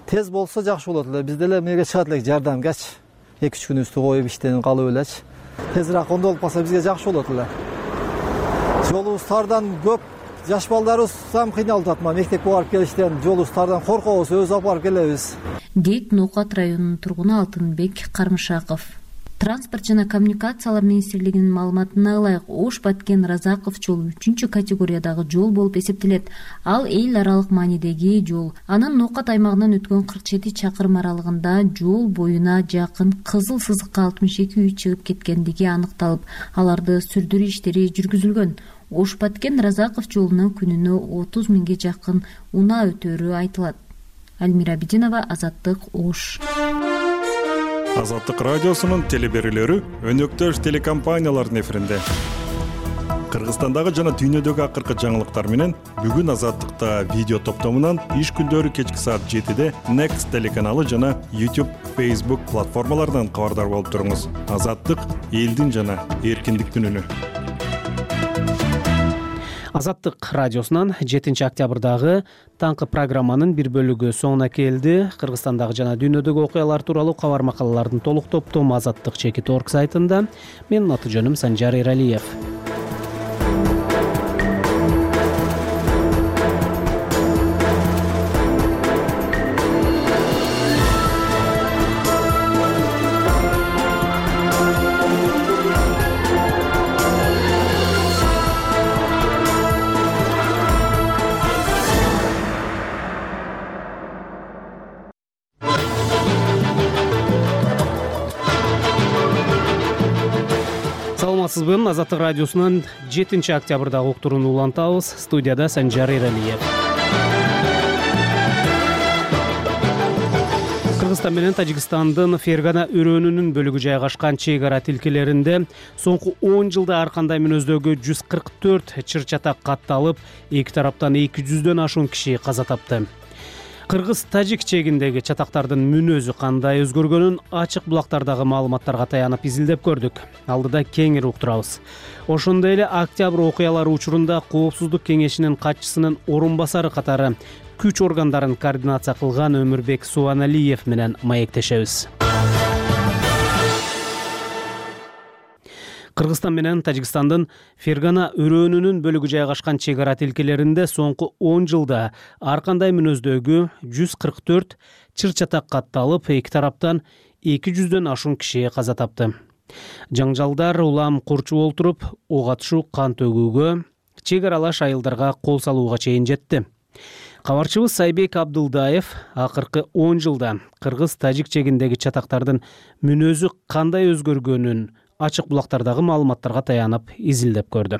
Тез болсо жакшы болот эле. Биз деле меге чыгат элек жардамгачы. 2-3 күнүбүздү коюп иштен калып элечи. Тезирээк оңдолуп калса бизге жакшы болот эле. Жолубуз тардан көп. Жаш балдарыбыз сам кыйналып атат. Мектепке барып келиштен жолубуз тардан коркобуз, өзү апарып келебиз. Дейт Ноокат районунун тургуну Алтынбек Кармышаков. Транспорт жана коммуникациялар министрлигинин маалыматына ылайык, Ош Баткен Разаков жолу 3-категориядагы жол болуп эсептелет. Ал эл аралык маанидеги жол. Анын Ноокат аймагынан өткөн 47 чакырым аралыгында жол боюна жакын кызыл сызыкка 62 үй чыгып кеткендиги аныкталып, аларды сүрдүрүү иштери жүргүзүлгөн. Ош Баткен Разаков жолунан күнүнө 30 миңге жакын унаа өтөрү айтылат. Альмира Абидинова, Азаттык, Ош. Азаттык радиосунун телеберүүлөрү өнөктөш телекомпаниялардын эфиринде. Кыргызстандагы жана дүйнөдөгү акыркы жаңылыктар менен бүгүн Азаттыкта видео топтомунан иш күндөрү кечки саат 7-де Next телеканалы жана YouTube, Facebook платформаларынан кабардар болуп туруңуз. Азаттык элдин жана эркиндиктин үнү. Азаттык радиосунан 7 октябрдагы таңкы программанын бир бөлүгү соңуна келди. Кыргызстандагы жана дүйнөдөгү окуялар тууралуу кабар макалалардын толук топтому Азаттык Чекит.org сайтында. Менин аты жөнүм Санжар Эралиев. Саламатсызбы? Азаттык радиосунан 7 октябрдагы уктурууну улантабыз. Студияда Санжар Эралиев. Кыргызстан менен Тажикстандын Фергана өрөөнүнүн бөлүгү жайгашкан чек ара тилкелеринде соңку 10 жылда ар кандай мүнөздөгү 144 чыр-чатак катталып, эки тараптан 200дөн ашуун киши каза тапты. Кыргыз-тажик чегиндеги чатактардын мүнөзү кандай өзгөргөнүн ачык булактардагы маалыматтарга таянып изилдеп көрдүк. Алдыда кеңири уктурабыз. Ошондой эле октябрь окуялары учурунда Коопсуздук кеңешинин катчысынын орун басары катары күч органдарын координация кылган Өмүрбек Субаналиев менен маектешебиз. Кыргызстан менен Тажикстандын Фергана өрөөнүнүн бөлүгү жайгашкан чек ара тилкелеринде соңку 10 жылда ар кандай мүнөздөгү 144 чыр-чатак катталып, эки тараптан 200дөн ашуун киши каза тапты. Жаңжалдар улам курчуп олтуруп, ок атышуу, кан төгүүгө, чек аралаш айылдарга кол салууга чейин жетти. Кабарчыбыз Сайбек Абдылдаев акыркы 10 жылда кыргыз-тажик чегиндеги чатактардын мүнөзү кандай өзгөргөнүн ачык булактардагы маалыматтарга таянып изилдеп көрдү.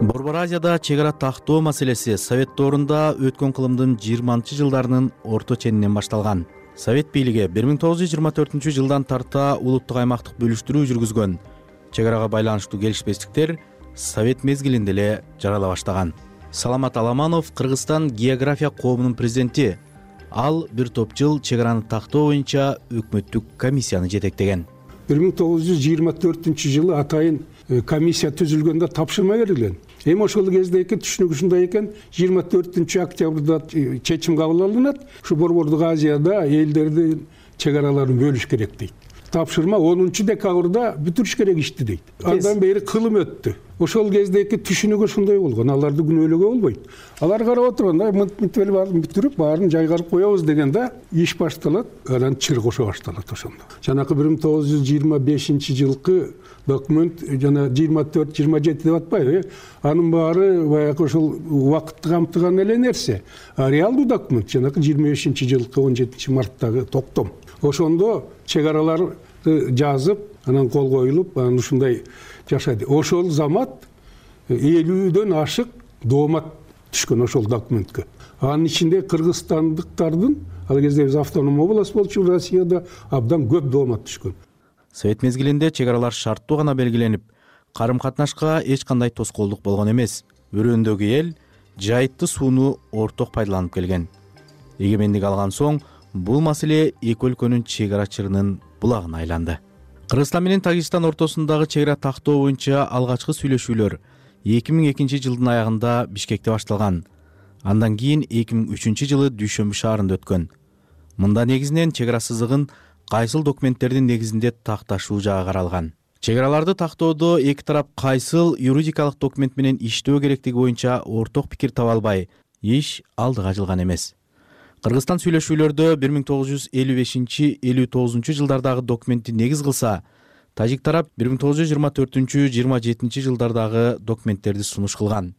Борбор Азияда чек ара тактоо маселеси Совет доорунда өткөн кылымдын 20-жылдарынын орто ченинен башталган. Совет бийлиги 1924 жылдан тарта улуттук аймактык бөлүштүрүү жүргүзгөн. Чек арага байланыштуу келишпестиктер Совет мезгилинде эле жарала баштаган. Саламат Аламанов Кыргызстан география коомунун президенти. Ал бир топ жыл чек араны тактоо боюнча өкмөттүк комиссияны жетектеген. 1924 жылы атайын комиссия түзүлгөндө тапшырма берилген. Эми ошол кездеги түшүнүк ушундай экен, 24 октябрда чечим кабыл алынат. Ушу Борбордук Азияда элдердин чек араларын бөлүш керек дейт. Тапшырма 10 декабрда бүтүрүш керек ишти дейт. Андан бери кылым өттү. Ошол кездеги түшүнүк ошондой болгон. Аларды күнөөлөгө болбойт. Алар карап отурганда мынтип баарын бүтүрүп, баарын жайгарып коебуз дегенде иш башталат, анан чыр кошо башталат ошондо. Жанакы 1925 жылкы документ жана 24-27 деп атпайбы? Анын баары баягы ошол убакытты камтыган эле нерсе. Реалдуу документ жанакы 25 жылкы 17 марттагы токтом. Ошондо чек аралар жазып, анан кол коюлуп, анан ушундай жашады. Ошол замат 50дөн ашык доомат түшкөн ошол документке. Анын ичинде кыргызстандыктардын, ал кезде биз автоном область болчу Россияда, абдан көп доомат түшкөн. Совет мезгилинде чек аралар шарттуу гана белгиленип, карым-катнашка эч кандай тоскоолдук болгон эмес. Өрөөндөгү эл жайытты сууну орток пайдаланып келген. Эгемендик алган соң бул маселе эки өлкөнүн чек арачыларынын булагына айланды. Кыргызстан менен Тажикстан ортосундагы чек ара тактоо боюнча алгачкы сүйлөшүүлөр 2002 жылдын аягында Бишкекте башталган. Андан кийин 2003 жылы Дүйшөмбү шаарында өткөн. Мында негизинен чек ара сызыгын кайсыл документтердин негизинде такташуу жагы каралган. Чек араларды тактоодо эки тарап кайсыл юридикалык документ менен иштөө керектиги боюнча орток пикир таба албай, иш алдыга жылган эмес. Кыргызстан сүйлөшүүлөрдө 1955-59 жылдардагы документти негиз кылса, тажик тарап 1924-27 жылдардагы документтерди сунуш кылган.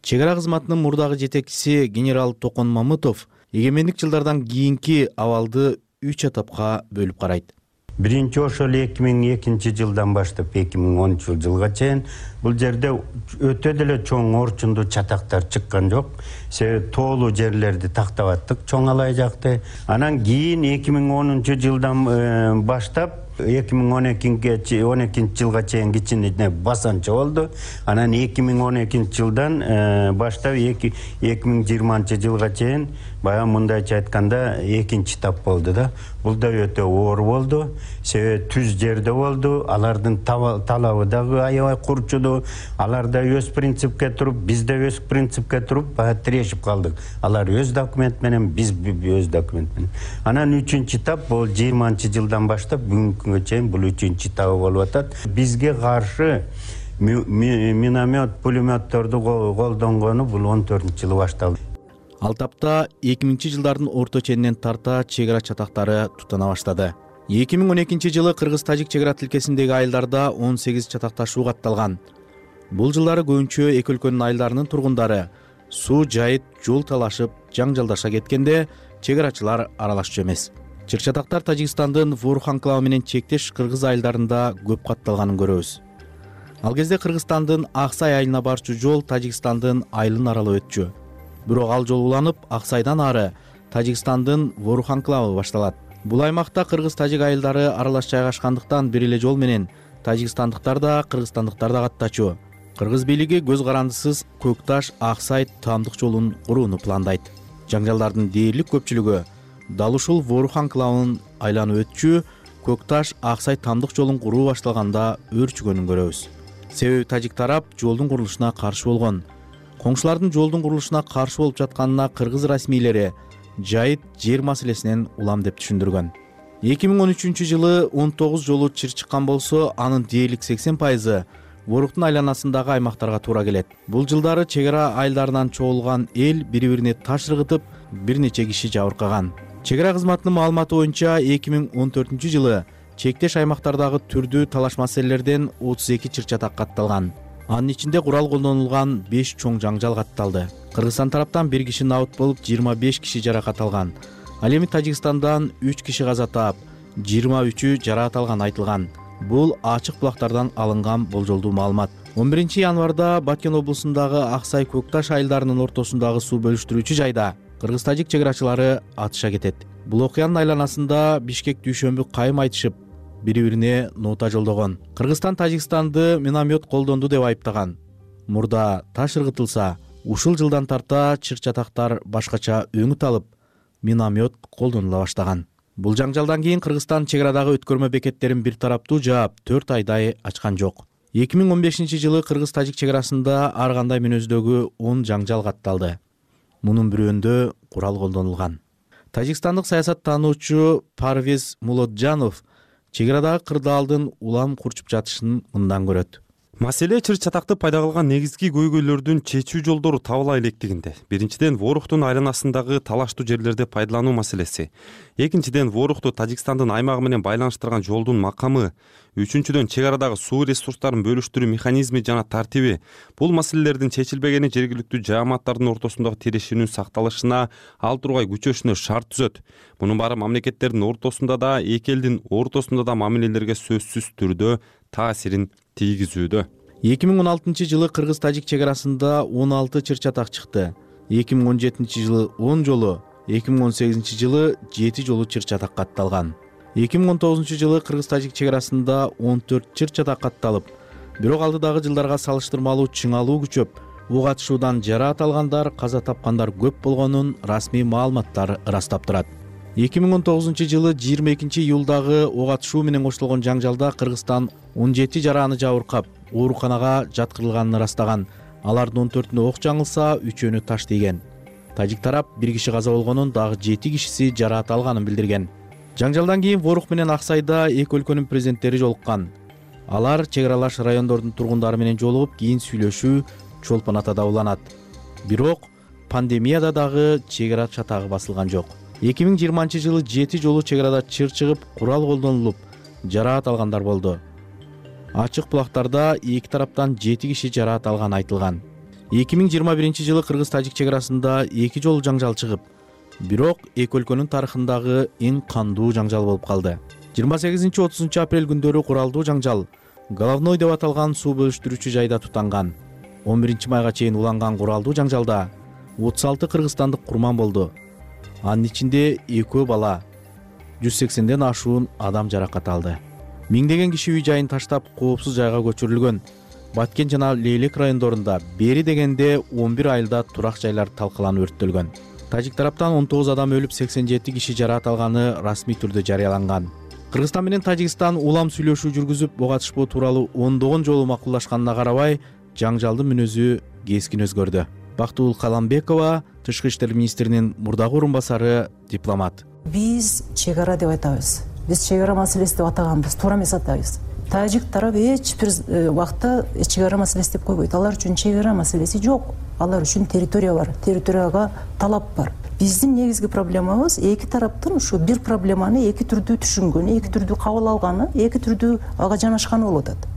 Чек ара кызматынын мурдагы жетекчиси генерал Токон Мамытов эгемендик жылдардан кийинки абалды 3 этапка бөлүп карайт. Биринчи ошол 2002 жылдан баштап 2010 жылга чейин бул жерде өтө деле чоң орчундуу чатактар чыккан жок. Себеби тоолуу жерлерди тактап аттык чоң алай жакты. Анан кийин 2010 жылдан баштап 2012 жылга чейин кичине басанча болду. Анан 2012 жылдан баштап 2020 жылга чейин баягы мындайча айтканда экинчи этап болду да. Бул да өтө оор болду. Себеби түз жерде болду. Алардын талабы дагы аябай курчуду. Алар да өз принципке туруп, биз да өз принципке туруп, баягы тирешип калдык. Алар өз документ менен, биз өз документ менен. Анан 3-чү этап бул 20 жылдан баштап бүгүнкү күнгө чейин бул 3-чү этабы болуп атат. Бизге каршы миномет, пулеметтерди колдонгону бул 14-жылы башталды. Ал тапта 2000 жылдардын орто ченинен тарта чек ара чатактары тутана баштады. 2012 жылы Кыргыз-Тажик чек ара тилкесиндеги айылдарда 18 чатакташуу катталган. Бул жылдары көбүнчө эки өлкөнүн айылдарынын тургундары суу жайыт, жол талашып, жаңжалдаша кеткенде чек арачылар аралашчу эмес. Чек чатактар Тажикстандын Ворух анклавы менен чектеш кыргыз айылдарында көп катталганын көрөбүз. Ал кезде Кыргызстандын Аксай айылына барчу жол Тажикстандын айылын аралап өтчү. Бирок ал жол уланып, Аксайдан ары Тажикстандын Ворух анклавы башталат. Бул аймакта кыргыз-тажик айылдары аралаш жайгашкандыктан бир эле жол менен тажикстандыктар да, кыргызстандыктар да каттачу. Кыргыз бийлиги көз карандысыз Көкташ Аксай таамдык жолун курууну пландайт. Жаңжалдардын дээрлик көпчүлүгү дал ушул Ворух анклавын айланып өтчү Көкташ Аксай таамдык жолун куруу башталганда өөрчүгөнүн көрөбүз. Себеби тажик тарап жолдун курулушуна каршы болгон. Коңшулардын жолдун курулушуна каршы болуп жатканына кыргыз расмийлери жайыт жер маселесинен улам деп түшүндүргөн. 2013 жылы 19 жолу чыр чыккан болсо, анын дээрлик 80% Воруктун айланасындагы аймактарга туура келет. Бул жылдары чек ара айылдарынан чогулган эл бири-бирине таш ыргытып, бир нече киши жабыркаган. Чек ара кызматынын маалыматы боюнча 2014 жылы чектеш аймактардагы түрдүү талаш маселелерден 32 чыр чатак катталган. Анын ичинде курал колдонулган 5 чоң жаңжал катталды. Кыргызстан тараптан 1 киши набыт болуп, 25 киши жаракат алган. Ал эми Тажикстандан 3 киши каза таап, 23-ü жаракат алган айтылган. Бул ачык булактардан алынган болжолдуу маалымат. 11 январда Баткен облусундагы Аксай Көкташ айылдарынын ортосундагы суу бөлүштүрүүчү жайда кыргыз-тажик чек арачылары атыша кетет. Бул окуянын айланасында Бишкек дүйшөмбү кайым айтышып, бири-бирине нота жолдогон. Кыргызстан Тажикстанды миномет колдонду деп айыптаган. Мурда таш ыргытылса, ушул жылдан тарта чыр чатактар башкача өңүт алып, миномет колдонула баштаган. Бул жаңжалдан кийин Кыргызстан чек арадагы өткөрмө бекеттерин бир тараптуу жаап, 4 айдай ачкан жок. 2015 жылы Кыргыз-Тажик чек арасында ар кандай мүнөздөгү 10 жаңжал катталды. Мунун бирөөндө курал колдонулган. Тажикстандык саясаттануучу Парвиз Мулотжанов чек арадагы кырдаалдын улам курчуп жатышын мындан көрөт. Маселе чыр чатакты пайда кылган негизги көйгөйлөрдүн чечүү жолдору табыла электигинде. Биринчиден, Воруктун айланасындагы талаштуу жерлерди пайдалануу маселеси. Экинчиден, Ворукту Тажикстандын аймагы менен байланыштырган жолдун макамы. Үчүнчүдөн, чек арадагы суу ресурстарын бөлүштүрүү механизми жана тартиби. Бул маселелердин чечилбегени жергиликтүү жааматтардын ортосундагы тирешүүнүн сакталышына, ал тургай күчөшүнө шарт түзөт. Мунун баары мамлекеттердин ортосунда да, эки элдин ортосунда да мамилелерге сөзсүз түрдө таасирин тийгизүүдө. 2016 жылы Кыргыз-Тажик чек арасында 16 чыр чатак чыкты. 2017 жылы 10 жолу, 2018 жылы 7 жолу чыр чатак катталган. 2019 жылы Кыргыз-Тажик чек арасында 14 чыр чатак катталып, бирок алдыдагы жылдарга салыштырмалуу чыңалуу күчөп, ок атышуудан жараат алгандар, каза тапкандар көп болгонун расмий маалыматтар ырастап турат. 2019 жылы 22 июлдагы ок атышуу менен коштолгон жаңжалда Кыргызстан 17 жарааны жабыркап, ооруканага жаткырылганын ырастаган. Алардын 14-үнө ок жаңылса, 3-өнү таш тийген. Тажик тарап 1 киши каза болгонун, дагы 7 кишиси жараат алганын билдирген. Жаңжалдан кийин Ворух менен Аксайда эки өлкөнүн президенттери жолуккан. Алар чек аралаш райондордун тургундары менен жолугуп, кийин сүйлөшүү чолпон атада уланат. Бирок пандемияда дагы чек ара чатагы басылган жок. 2020 жылы 7 жолу чек арада чыр чыгып, курал колдонулуп, жараат алгандар болду. Ачык булактарда эки тараптан 7 киши жараат алган айтылган. 2021 жылы Кыргыз-Тажик чек арасында 2 жолу жаңжал чыгып, бирок эки өлкөнүн тарыхындагы эң кандуу жаңжал болуп калды. 28-30 апрель күндөрү куралдуу жаңжал Головной деп аталган суу бөлүштүрүүчү жайда тутанган. 11 майга чейин уланган куралдуу жаңжалда 36 кыргызстандык курман болду. Анын ичинде 2 бала, 180ден ашуун адам жаракат алды. Миңдеген киши үй жайын таштап коопсуз жайга көчүрүлгөн. Баткен жана Лейлек райондорунда бери дегенде 11 айылда турак жайлар талкаланып өрттөлгөн. Тажик тараптан 19 адам өлүп, 87 киши жараат алганы расмий түрдө жарыяланган. Кыргызстан менен Тажикстан улам сүйлөшүү жүргүзүп, ого катышпоо тууралуу ондогон жолу макулдашканына карабай, жаңжалдын мүнөзү кескин өзгөрдү. Бактыгүл Каламбекова, Тышкы иштер министринин мурдагы орун басары, дипломат. Биз чек ара деп айтабыз. Биз чек ара маселеси деп атаганбыз, туура эмес атабыз. Тажик тарап эч бир убакта чек ара маселеси деп койбойт. Алар үчүн чек ара маселеси жок. Алар үчүн территория бар, территорияга талап бар. Биздин негизги проблемабыз эки тараптын ушу бир проблеманы эки түрдүү түшүнгөнү, эки түрдүү кабыл алганы, эки түрдүү ага жанашканы болуп атат.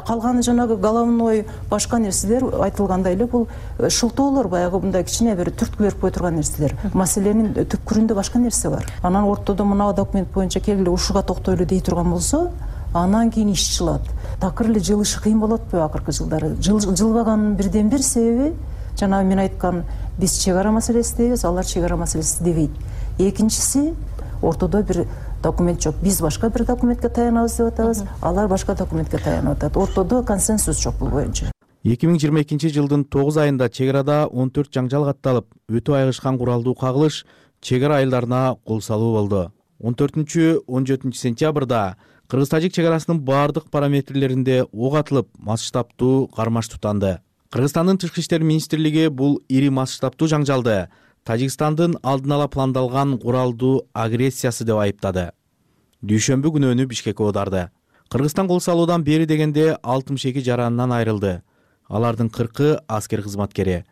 Калганы жанагы головной башка нерселер айтылгандай эле бул шылтоолор, баягы мындай кичине бир түрткү берип кое турган нерселер. Маселенин түпкүрүндө башка нерсе бар. Анан ортодо мына документ боюнча келгиле ушуга токтойлу дей турган болсо, анан кийин иш жылат. Такыр эле жылышы кыйын болот атпайбы акыркы жылдары? Жылбаганын бирден бир себеби жанагы мен айткан биз чек ара маселеси дейбиз, алар чек ара маселеси дебейт. Экинчиси ортодо бир документ жок. Биз башка бир документке таянабыз деп атабыз, алар башка документке таянып атат. Ортодо консенсус жок бул боюнча. 2022 жылдын 9 айында чек арада 14 жаңжал катталып, өтө айгышкан куралдуу кагылыш чек ара айылдарына кол салуу болду. 14-17 сентябрда Кыргыз-Тажик чек арасынын бардык параметрлеринде ок атылып, масштабтуу кармаш тутанды. Кыргызстандын Тышкы иштер министрлиги бул ири масштабтуу жаңжалды Тажикстандын алдын ала пландалган куралдуу агрессиясы деп айыптады. Дүйшөмбү күнөөнү Бишкекке оодарды. Кыргызстан кол салуудан бери дегенде 62 жаранынан айрылды. Алардын 40-ы аскер кызматкери.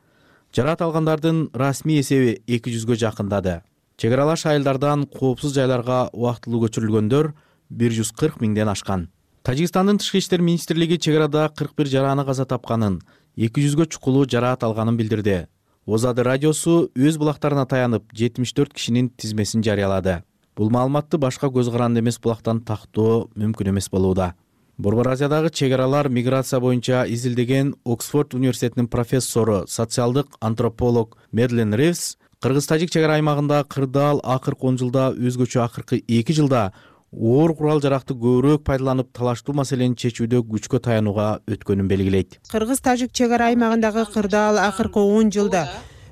Жараат алгандардын расмий эсеби 200гө жакындады. Чек аралаш айылдардан коопсуз жайларга убактылуу көчүрүлгөндөр 140 миңден ашкан. Тажикстандын Тышкы иштер министрлиги чек арада 41 жараны каза тапканын, 200гө чукулуу жараат алганын билдирди. Озады радиосу өз булактарына таянып 74 кишинин тизмесин жарыялады. Бул маалыматты башка көз каранды эмес булактан тактоо мүмкүн эмес болууда. Борбор Азиядагы чек аралар миграция боюнча изилдеген Оксфорд университетинин профессору, социалдык антрополог Медлен Ривс Кыргыз-Тажик чек ара аймагында кырдаал акыркы 10 жылда өзгөчө акыркы 2 жылда оор курал жаракты көбүрөөк пайдаланып талаштуу маселени чечүүдө күчкө таянууга өткөнүн белгилейт. Кыргыз-Тажик чек ара аймагындагы кырдаал акыркы 10 жылда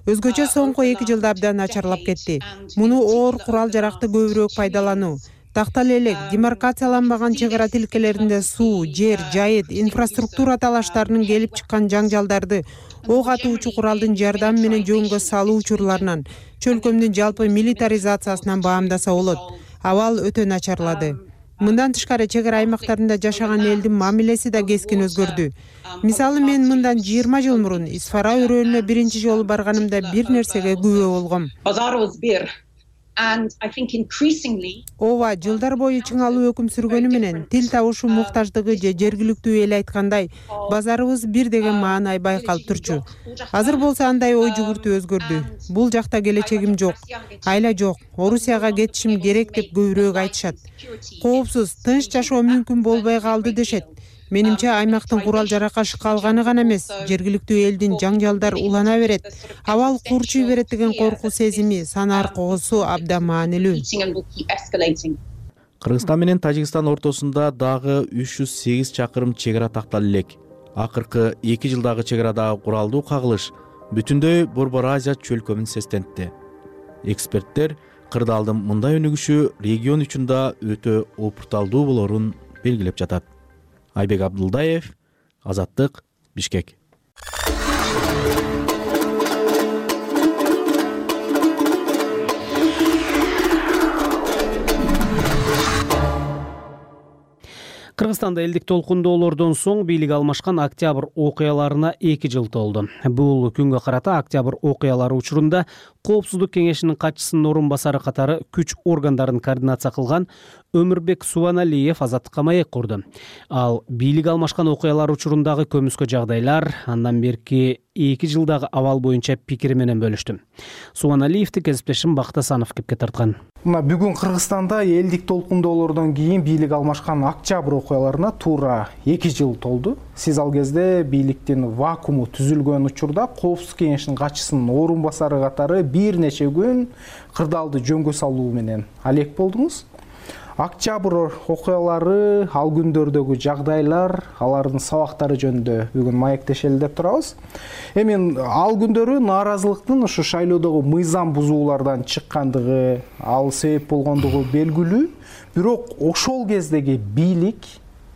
өзгөчө соңку 2 жылда абдан начарлап кетти. Муну оор курал жаракты көбүрөөк пайдалануу, тактал элек, демаркацияланбаган чек ара тилкелеринде суу, жер, жайыт, инфраструктура талаштарынын келип чыккан жаңжалдарды ок атуучу куралдын жардамы менен жөнгө салуу учурларынан, чөлкөмдүн жалпы милитаризациясынан баамдаса болот. Абал өтө начарлады. Мындан тышкары чек ара аймактарында жашаган элдин мамилеси да кескин өзгөрдү. Мисалы мен мындан 20 жыл мурун Исфара өрөөнүнө биринчи жолу барганымда бир нерсеге күбө болгом. Ооба, жылдар бою чыңалуу өкүм сүргөнү менен тил табышуу муктаждыгы же жергиликтүү эл айткандай базарыбыз бир деген маанай байкалып турчу. Азыр болсо андай ой жүгүртүү өзгөрдү. Бул жакта келечегим жок, айла жок, Орусияга кетишим керек деп көбүрөөк айтышат. Коопсуз, тынч жашоо мүмкүн болбой калды дешет. Менимче аймактын курал жаракка шыкалганы гана эмес, жергиликтүү элдин жаңжалдар улана берет, абал курчуй берет деген коркуу сезими, санаар когусу абдан маанилүү. Кыргызстан менен Тажикстан ортосунда дагы 308 чакырым чек ара тактала элек. Акыркы 2 жылдагы чек арадагы куралдуу кагылыш бүтүндөй Борбор Азия чөлкөмүн сестентти. Эксперттер кырдаалдын мындай өнүгүшү регион үчүн да өтө опурталдуу болорун белгилеп жатат. Айбек Абдулдаев, Азаттык, Бишкек. Кыргызстанда элдик толкундоолордон соң бийлик алмашкан октябрь окуяларына 2 жыл толду. Бул күнгө карата октябрь окуялары учурунда Коопсуздук кеңешинин катчысынын орун басары катары күч органдарын координация кылган Өмүрбек Субаналиев Азаттыкка маек курду. Ал бийлик алмашкан окуялар учурундагы көмүскө жагдайлар, андан берки 2 жылдагы абал боюнча пикири менен бөлүштү. Субаналиевди кесиптешим Бактасанов кепке тарткан. Мына бүгүн Кыргызстанда элдик толкундоолордон кийин бийлик алмашкан октябрь окуяларына туура 2 жыл толду. Сиз ал кезде бийликтин вакууму түзүлгөн учурда Коопсуздук кеңешинин катчысынын орун басары катары бир нече күн кырдаалды жөнгө салуу менен алек болдуңуз. Октябрь окуялары, ал күндөрдөгү жагдайлар, алардын сабактары жөнүндө бүгүн маектешели деп турабыз. Эми ал күндөрү нааразылыктын ушу шайлоодогу мыйзам бузуулардан чыккандыгы, ал себеп болгондугу белгилүү. Бирок ошол кездеги бийлик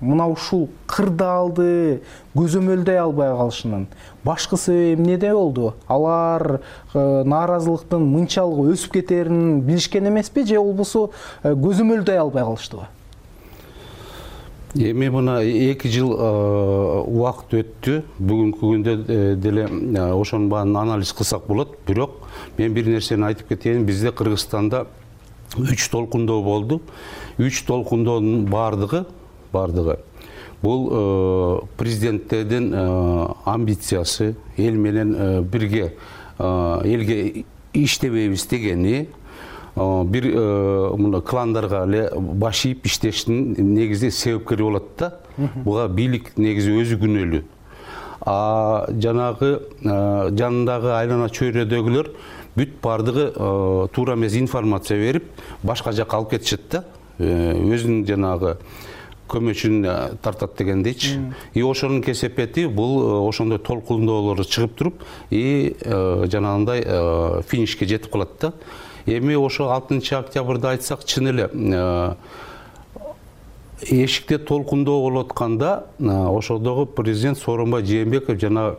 мына ушул кырдаалды көзөмөлдөй албай калышынын башкы себеби эмнеде болду? Алар нааразылыктын мынчалык өсүп кетерин билишкен эмеспи же болбосо көзөмөлдөй албай калыштыбы? Эми мына 2 жыл убакыт өттү. Бүгүнкү күндө деле ошонун баарын анализ кылсак болот. Бирок мен бир нерсени айтып кетейин. Бизде Кыргызстанда 3 толкундоо болду. 3 толкундоонун баардыгы бул президенттердин амбициясы, эл менен бирге элге иштебейбиз дегени, бир мына кландарга эле баш ийип иштештин негизи себепкери болот да. Буга бийлик негизи өзү күнөөлүү. Жанагы жанындагы айлана чөйрөдөгүлөр бүт бардыгы туура эмес информация берип, башка жакка алып кетишет да. Өзүнүн жанагы көмөчүн тартат дегендейчи. Ошонун кесепети бул ошондой толкундоолор чыгып туруп, жанагындай финишке жетип калат да. Эми ошо 6 октябрда айтсак, чын эле эшикте толкундоо болуп атканда ошодогу президент Сооронбай Жээнбеков жана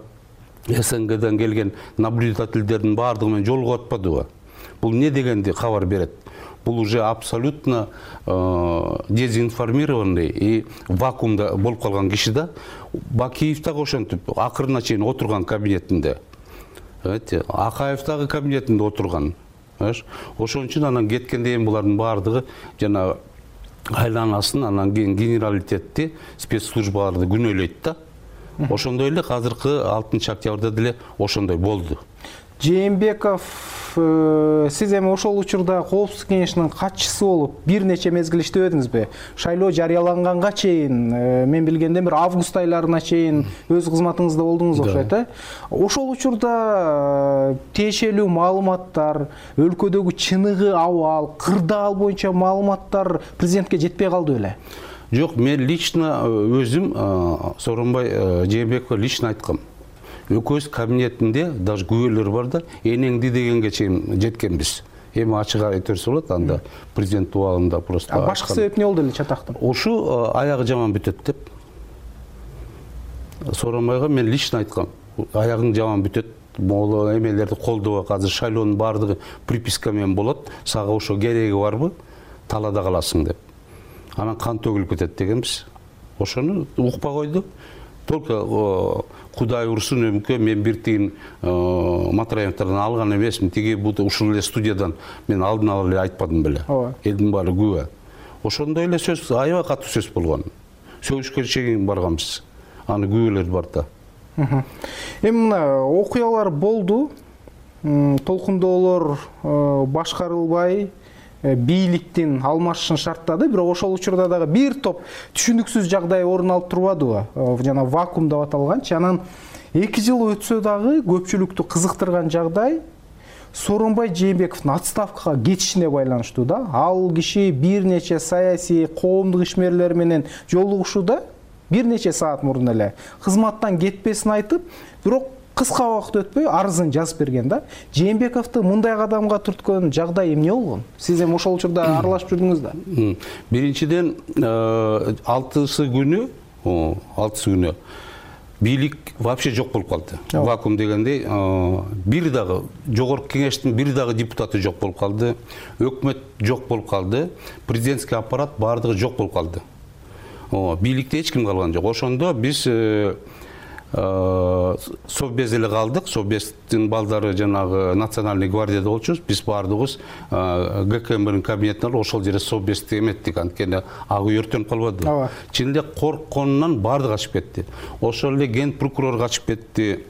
СНГден келген наблюдательдердин баардыгы менен жолугуп атпадыбы? Бул не дегенди кабар берет? Бул уже абсолютно дезинформированный и вакуумда болуп калган киши да. Бакиев дагы ошентип акырына чейин отурган кабинетинде. Акаев дагы кабинетинде отурган. Ошон үчүн анан кеткенде эми булардын баардыгы жана айланасын, анан кийин генералитетти, спецслужбаларды күнөөлөйт да. Ошондой эле азыркы 6 октябрда деле ошондой болду. Жээнбеков, сиз эми ошол учурда Коопсуздук кеңешинин катчысы болуп бир нече мезгил иштебедиңизби? Шайлоо жарыяланганга чейин, мен билгенде бир август айларына чейин өз кызматыңызда болдуңуз окшойт, Ошол учурда тиешелүү маалыматтар, өлкөдөгү чыныгы абал, кырдаал боюнча маалыматтар президентке жетпей калды беле? Жок, мен лично өзүм Сооронбай Жээнбековго лично айткам. Өкөз кабинетинде даже күбөлөр бар да, энеңди дегенге чейин жеткенбиз. Эми ачык айтерсе болот, анда президент убагында просто. Башкы себеп не болду эле чатактын? Ошу аягы жаман бүтөт деп. Сооронбайга мен лично айткам. Аягың жаман бүтөт, могу эмелерди колдоп, азыр шайлоонун баардыгы приписка менен болот. Сага ошо кереги барбы? Талаада каласың деп. Анан кан төгүлүп кетет дегенбиз. Ошону укпай койду. Только Кудай урсун өмкө мен бир тиин Матраевдерден алган эмесмин. Тиги ушул эле студиядан мен алдын ала эле айтпадым беле. Элдин баары күбө. Ошондой эле сөз, аябай катуу сөз болгон. Сөгүшкө чейин барганбыз. Аны күбөлөр бар да. Эми мына окуялар болду. Толкундоолор башкарылбай, бийликтин алмашышын шарттады, бирок ошол учурда дагы бир топ түшүнүксүз жагдай орун алып турбадыбы? Жана вакуум деп аталганчы. Анан 2 жыл өтсө дагы көпчүлүктү кызыктырган жагдай Сооронбай Жээнбековдун отставкага кетишине байланыштуу да. Ал киши бир нече саясий, коомдук ишмерлер менен жолугушууда бир нече саат мурун эле кызматтан кетпесин айтып, бирок кыска убакыт өтпөй арызын жазып берген да. Жээнбековду мындай кадамга түрткөн жагдай эмне болгон? Сиз эми ошол учурда аралашып жүрдүңүз да. Биринчиден 6 күнү бийлик вообще жок болуп калды. Вакуум дегендей, бир дагы жогорку кеңештин бир дагы депутаты жок болуп калды. Өкмөт жок болуп калды. Президентский аппарат баардыгы жок болуп калды. Бийликте эч ким калган жок. Ошондо биз Совбез эле калдык. Совбездин балдары жанагы Национальный гвардияда болчубуз. Биз баардыгыбыз ГКМбнын кабинетинен ошол жерде Совбезди эметтик. Анткени ак үй өртөнүп калбады. Чын эле коркконунан баардыгы качып кетти. Ошол эле ген прокурор качып кетти.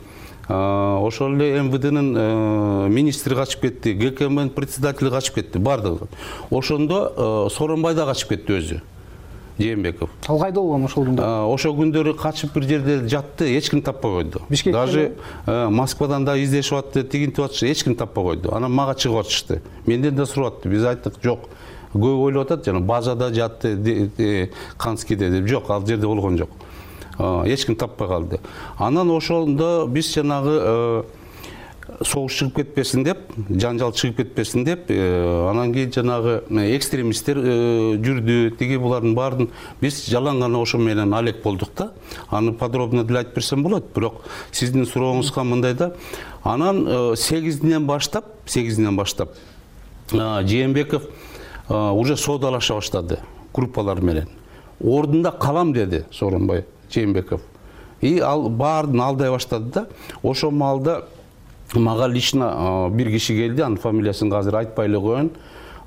Ошол эле МВДнын министри качып кетти. ГКМнын председатели качып кетти. Баардыгы. Ошондо Сооронбай да качып кетти өзү. Жээнбеков. Ал кайда болгон ошол күндө? Ошол күндөрү качып бир жерде жатты, эч ким таппай койду. Даже Москвадан да издешип атты, тигинтип атышты, эч ким таппай койду. Анан мага чыгып атышты. Менден да сурап атты. Биз айттык, жок, көп ойлоп атат жана базада жатты Канскийде деп. Жок, ал жерде болгон жок. Эч ким таппай калды. Анан ошондо биз жанагы согуш чыгып кетпесин деп, жанжал чыгып кетпесин деп, анан кийин жанагы экстремисттер жүрдү, тиги булардын баарын биз жалаң гана ошо менен алек болдук да. Аны подробно деле айтып берсем болот, бирок сиздин сурооңузга мындай да. Анан 8-ден баштап Жээнбеков уже соодалаша баштады группалар менен. Ордунда калам деди Сооронбай Жээнбеков. Ал баарын алдай баштады да. Ошол маалда мага лично бир киши келди, анын фамилиясын азыр айтпай эле коеюн.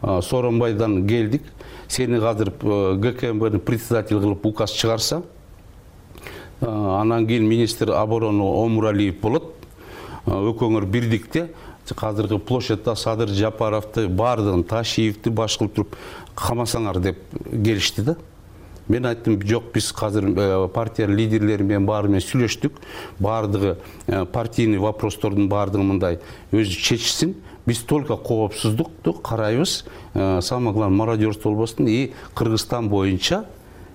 Сооронбайдан келдик. Сени азыр ГКМБнын председатель кылып указ чыгарса, анан кийин министр обороны Омуралиев болот. Экөөңөр бирдикте азыркы площадьта Садыр Жапаровду, баардыгын, Ташиевди баш кылып туруп камасаңар деп келишти да. Мен айттым, жок, биз азыр партия лидерлери менен баары менен сүйлөштүк. Баардыгы партийный вопростордун баардыгы мындай өзү чечсин. Биз только коопсуздукту карайбыз. Самое главное, мародерство болбосун. И Кыргызстан боюнча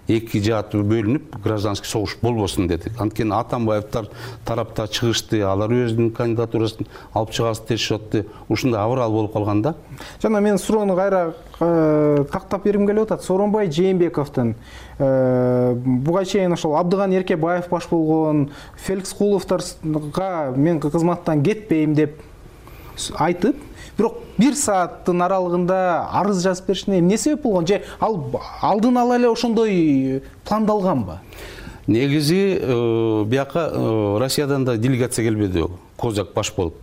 эки жаат бөлүнүп гражданский согуш болбосун дедик. Анткени Атамбаевдер тарапта чыгышты, алар өзүнүн кандидатурасын алып чыгасы дешип атты. Ушундай абырал болуп калган да. Жана мен суроону кайра тактап бергим келип атат. Сооронбай Жээнбековдун буга чейин ошол Абдыган Эркебаев баш болгон, Феликс Куловторго мен кызматтан кетпейм деп айтып, бирок 1 сааттын аралыгында арыз жазып беришине эмне себеп болгон? Же ал алдын ала эле ошондой пландалганбы? Негизи бияка Россиядан да делегация келбеди, Козак баш болуп.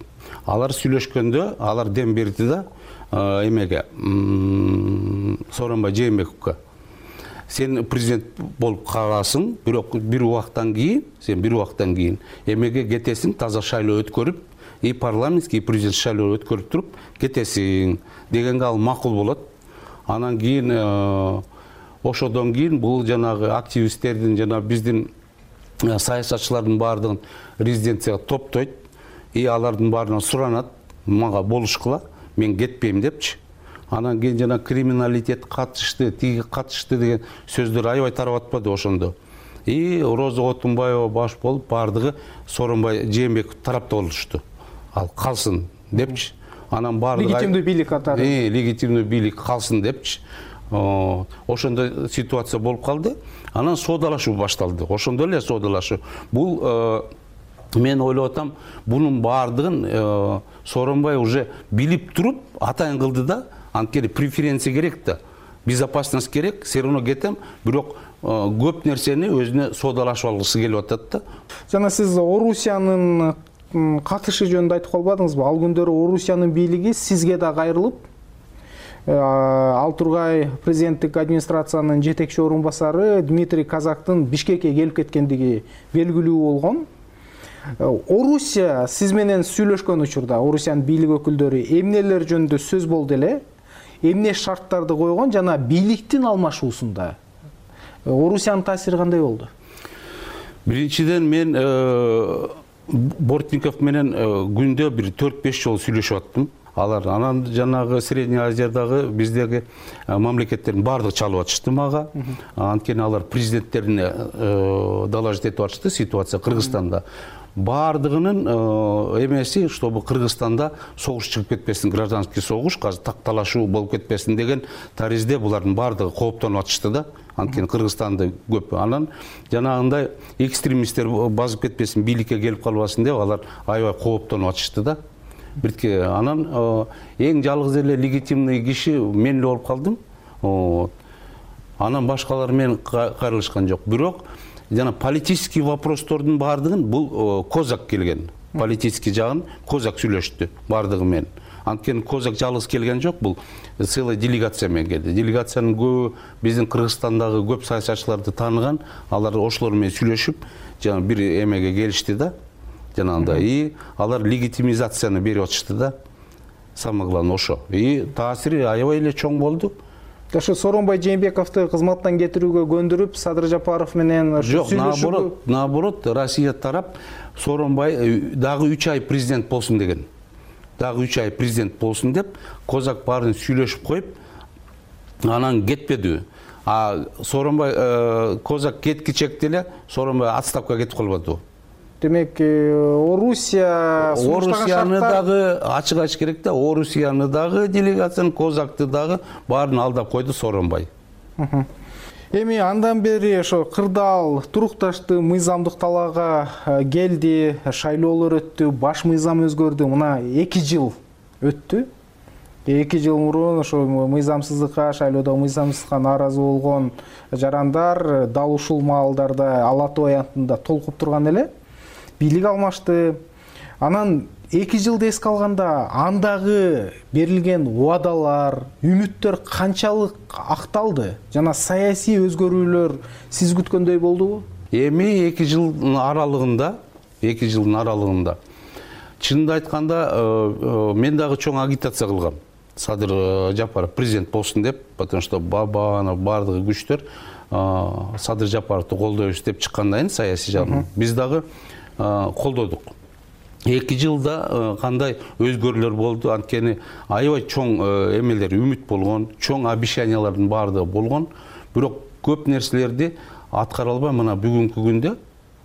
Алар сүйлөшкөндө, алар дем берди да эмеге, Сооронбай Жээнбековго. Сен президент болуп каласың, бирок бир убакыттан кийин эмеге кетесиң, таза шайлоо өткөрүп, и парламентский, и президент шайлоо өткөрүп туруп кетесиң дегенге ал макул болот. Анан кийин ошодон кийин бул жанагы активисттердин жана биздин саясатчылардын баардыгын резиденцияга топтойт, и алардын баарынан суранат, мага болушкула, мен кетпейм депчи. Анан кийин жана криминалитет катышты, тиги катышты деген сөздөр аябай тарап атпады ошондо. И Роза Отунбаева баш болуп, баардыгы Сооронбай Жээнбеков тарапта болушту. Ал калсын депчи. Анан баардыгы легитимдүү бийлик катары. Легитимдүү бийлик калсын депчи. Ошондой ситуация болуп калды. Анан соодалашуу башталды. Ошондо эле соодалашуу. Бул мен ойлоп атам, бунун баардыгын Сооронбай уже билип туруп атайын кылды да. Анткени преференция керек да. Безопасность керек, все равно кетем, бирок көп нерсени өзүнө соодалашып алгысы келип атат да. Жана сиз Орусиянын катышы жөнүндө айтып калбадыңызбы? Ал күндөрү Орусиянын бийлиги сизге да кайрылып, Алтургай президенттик администрациянын жетекчи орун басары Дмитрий Казактын Бишкекке келип кеткендиги белгилүү болгон. Орусия сиз менен сүйлөшкөн учурда Орусиянын бийлик өкүлдөрү эмнелер жөнүндө сөз болду эле? Эмне шарттарды койгон жана бийликтин алмашуусунда Орусиянын таасири кандай болду? Биринчиден мен Бортников менен күндө бир 4-5 жолу сүйлөшүп аттым. Алар анан жанагы Средний Азиядагы биздеги мамлекеттердин баардыгы чалып атышты мага. Анткени алар президенттерине доложить этип атышты ситуация Кыргызстанда. Баардыгынын эмеси, чтобы Кыргызстанда согуш чыгып кетпесин, гражданский согуш, азыр такталашуу болуп кетпесин деген таризде булардын баардыгы кооптонуп атышты да. Анткени Кыргызстанда көп. Анан жанагындай экстремисттер базып кетпесин, бийликке келип калбасын деп алар аябай кооптонуп атышты да. Бирке анан эң жалгыз эле легитимный киши мен эле болуп калдым. Анан башкалар менен кайрылышкан жок. Бирок жана политический вопростордун баардыгын бул Козак келген. Политический жагын Козак сүйлөштү баардыгы менен. Анткени Козак жалгыз келген жок, бул целая делегация менен келди. Делегациянын көбү биздин Кыргызстандагы көп саясатчыларды тааныган, алар ошолор менен сүйлөшүп, жана бир эмеге келишти да. Жанагындай и алар легитимизацияны берип атышты да. Самое главное ошо. И таасири аябай эле чоң болду. Ошо Сооронбай Жээнбековду кызматтан кетирүүгө көндүрүп, Садыр Жапаров менен сүйлөшүү. Наоборот, Россия тарап Сооронбай дагы 3 ай президент болсун деген. Дагы 3 ай президент болсун деп, Козак баарын сүйлөшүп коюп, анан кетпеди. Сооронбай Козак кеткичек деле Сооронбай отставкага кетип калбады. Демек, Орусияны дагы ачык айтыш керек да, Орусияны дагы делегацияны, Козакты дагы баарын алдап койду Сооронбай. Эми андан бери ошо кырдаал турукташты, мыйзамдык талаага келди, шайлоолор өттү, баш мыйзам өзгөрдү. Мына 2 жыл өттү. 2 жыл мурун ошо мыйзамсыздыкка, шайлоодо мыйзамсыздыкка нааразы болгон жарандар дал ушул маалдарда Ала Тоо аянтында толкуп турган эле. Бийлик алмашты. Анан 2 жылды эске алганда андагы берилген убадалар, үмүттөр канчалык акталды? Жана саясий өзгөрүүлөр сиз күткөндөй болдубу? Эми 2 жылдын аралыгында чынында айтканда мен дагы чоң агитация кылгам. Садыр Жапаров президент болсун деп, потому что бардыгы күчтөр Садыр Жапаровду колдойбуз деп чыккандан кийин саясий жагынан биз дагы колдодук. 2 жылда кандай өзгөрүүлөр болду? Анткени аябай чоң эмелер үмүт болгон, чоң обещаниялардын баардыгы болгон, бирок көп нерселерди аткара албай мына бүгүнкү күндө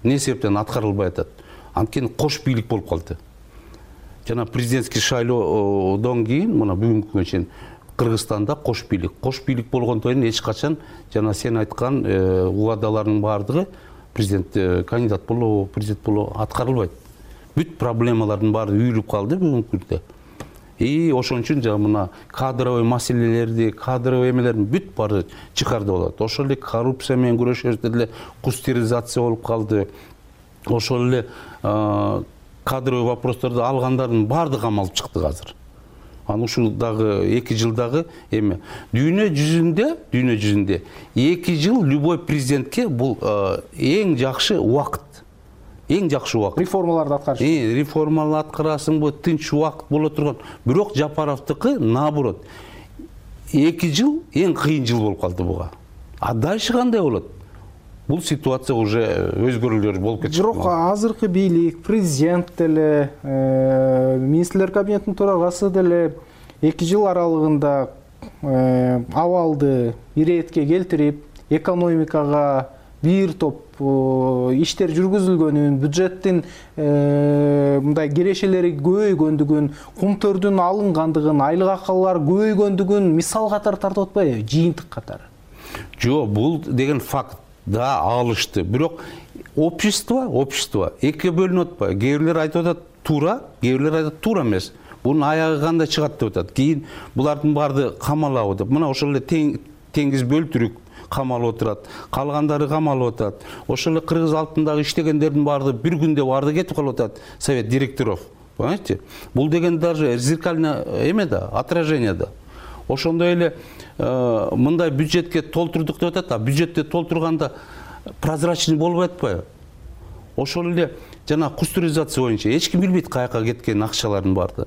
эмне себептен аткарылбай атат? Анткени кош бийлик болуп калды. Жана президентский шайлоодон кийин мына бүгүнкү күнгө чейин Кыргызстанда кош бийлик болгондон кийин эч качан жана сен айткан убадалардын баардыгы президент кандидат болобу, президент болобу аткарылбайт. Бүт проблемалардын баары үйүлүп калды бүгүнкү күндө. Ошон үчүн жана мына кадровый маселелерди, кадровый эмелердин бүт баары чыкарды болот. Ошол эле коррупция менен күрөшөбүз деле кустеризация болуп калды. Ошол эле кадровый вопросторду алгандардын баардыгы камалып чыкты азыр. Анан ушул дагы 2 жылдагы эми дүйнө жүзүндө 2 жыл любой президентке бул эң жакшы убакыт. Реформаларды аткарыш. Реформаларды аткарасыңбы, тынч убакыт боло турган. Бирок Жапаровдуку наоборот. 2 жыл эң кыйын жыл болуп калды буга. Дальше кандай болот? Бул ситуация уже өзгөрүүлөр болуп кетти. Бирок азыркы бийлик, президент деле, министрлер кабинетинин төрагасы деле 2 жыл аралыгында абалды иретке келтирип, экономикага бир топ иштер жүргүзүлгөнүн, бюджеттин мындай кирешелери көбөйгөндүгүн, кумтөрдүн алынгандыгын, айлык акылар көбөйгөндүгүн мисал катары тартып атпайбы, жыйынтык катары? Жок, бул деген факт. Да, алышты. Бирок общество экиге бөлүнүп атпайбы? Кээ бирлер айтып атат туура, кээ бирлер айтат туура эмес. Бунун аягы кандай чыгат деп атат. Кийин булардын баарды камалабы деп. Мына ошол эле теңиз бөлтүрүк камалып отурат, калгандары камалып атат. Ошол эле Кыргыз алтындагы иштегендердин баарды бир күндө баарды кетип калып атат, совет директоров. Понимаете? Бул деген даже зеркальное эме да, отражение да. Ошондой эле мындай бюджетке толтурдук деп атат, бюджетте толтурганда прозрачный болбой атпайбы? Ошол эле жана кустуризация боюнча эч ким билбейт каяка кеткен акчалардын баарды.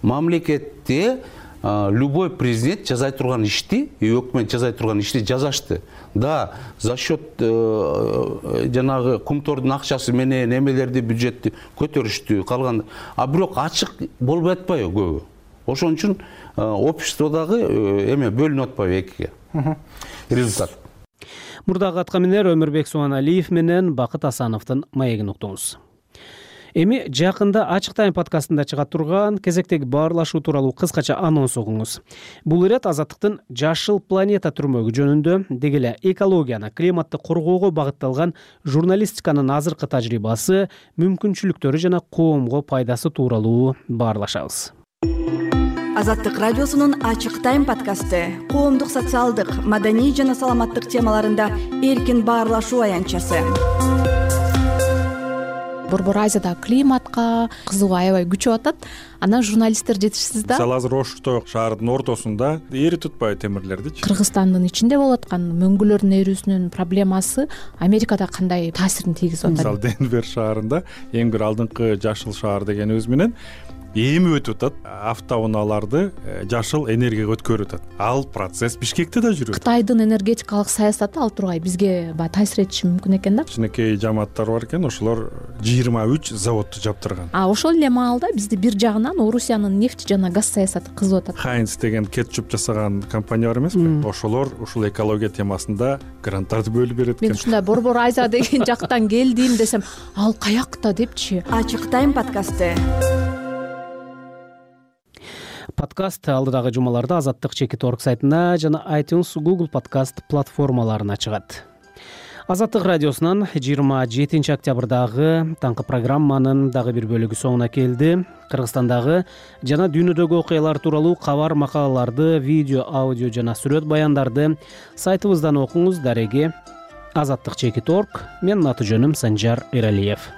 Мамлекетте любой президент жасай турган ишти, өкмөт жасай турган ишти жасашты. Да, за счет жанагы кумтордун акчасы менен эмелерди бюджетти көтөрүштү, калган. Бирок ачык болбой атпайбы көбү? Ошон үчүн обществодагы эме бөлүнүп атпайбы экиге. Результат. Мурдагы аткаминер Өмүрбек Субаналиев менен Бакыт Асановдун маегин уктуңуз. Эми жакында Ачык Тайм подкастында чыга турган кезектеги баарлашуу тууралуу кыскача анонс угуңуз. Бул ирет Азаттыктын Жашыл планета түрмөгү жөнүндө, деги эле экологияны, климатты коргоого багытталган журналистиканын азыркы тажрыйбасы, мүмкүнчүлүктөрү жана коомго пайдасы тууралуу баарлашабыз. Азаттык радиосунун Ачык Тайм подкасты коомдук, социалдык, маданий жана саламаттык темаларында эркин баарлашуу аянтчасы. Борбор Азияда климатка кызыгуу аябай күчөп атат. Анан журналисттер жетишсиз да. Мисалы азыр Ошто шаарынын ортосунда эри tutпайбы темирлердичи? Кыргызстандын ичинде болуп аткан мөңгүлөрдүн эрүүсүнүн проблемасы Америкада кандай таасирин тийгизип атат? Мисалы Денвер шаарында эң бир алдыңкы жашыл шаар дегенибиз менен эми өтүп атат, автоунааларды жашыл энергияга өткөрүп атат. Ал процесс Бишкекте да жүрөт. Кытайдын энергетикалык саясаты ал тургай бизге баягы таасир этиши мүмкүн экен да. Кичинекей жамааттар бар экен, ошолор 23 заводду жаптырган. Ошол эле маалда бизди бир жагынан Орусиянын нефть жана газ саясаты кызып атат. Хайнц деген кетчуп жасаган компания бар эмеспи? Ошолор ушул экология темасында гранттарды бөлүп берет экен. Мен ушундай Борбор Азия деген жактан келдим десем, ал каякта депчи. Ачык тайм подкасты. Подкаст алдыдагы жумаларда Азаттык Чекит.org сайтына жана iTunes, Google подкаст платформаларына чыгат. Азаттык радиосунан 27 октябрдагы таңкы программанын дагы бир бөлүгү соңуна келди. Кыргызстандагы жана дүйнөдөгү окуялар тууралуу кабар, макалаларды, видео, аудио жана сүрөт баяндарды сайтыбыздан окуңуз. Дареги Азаттык Чекит.org. Менин аты жөнүм Санжар Эралиев.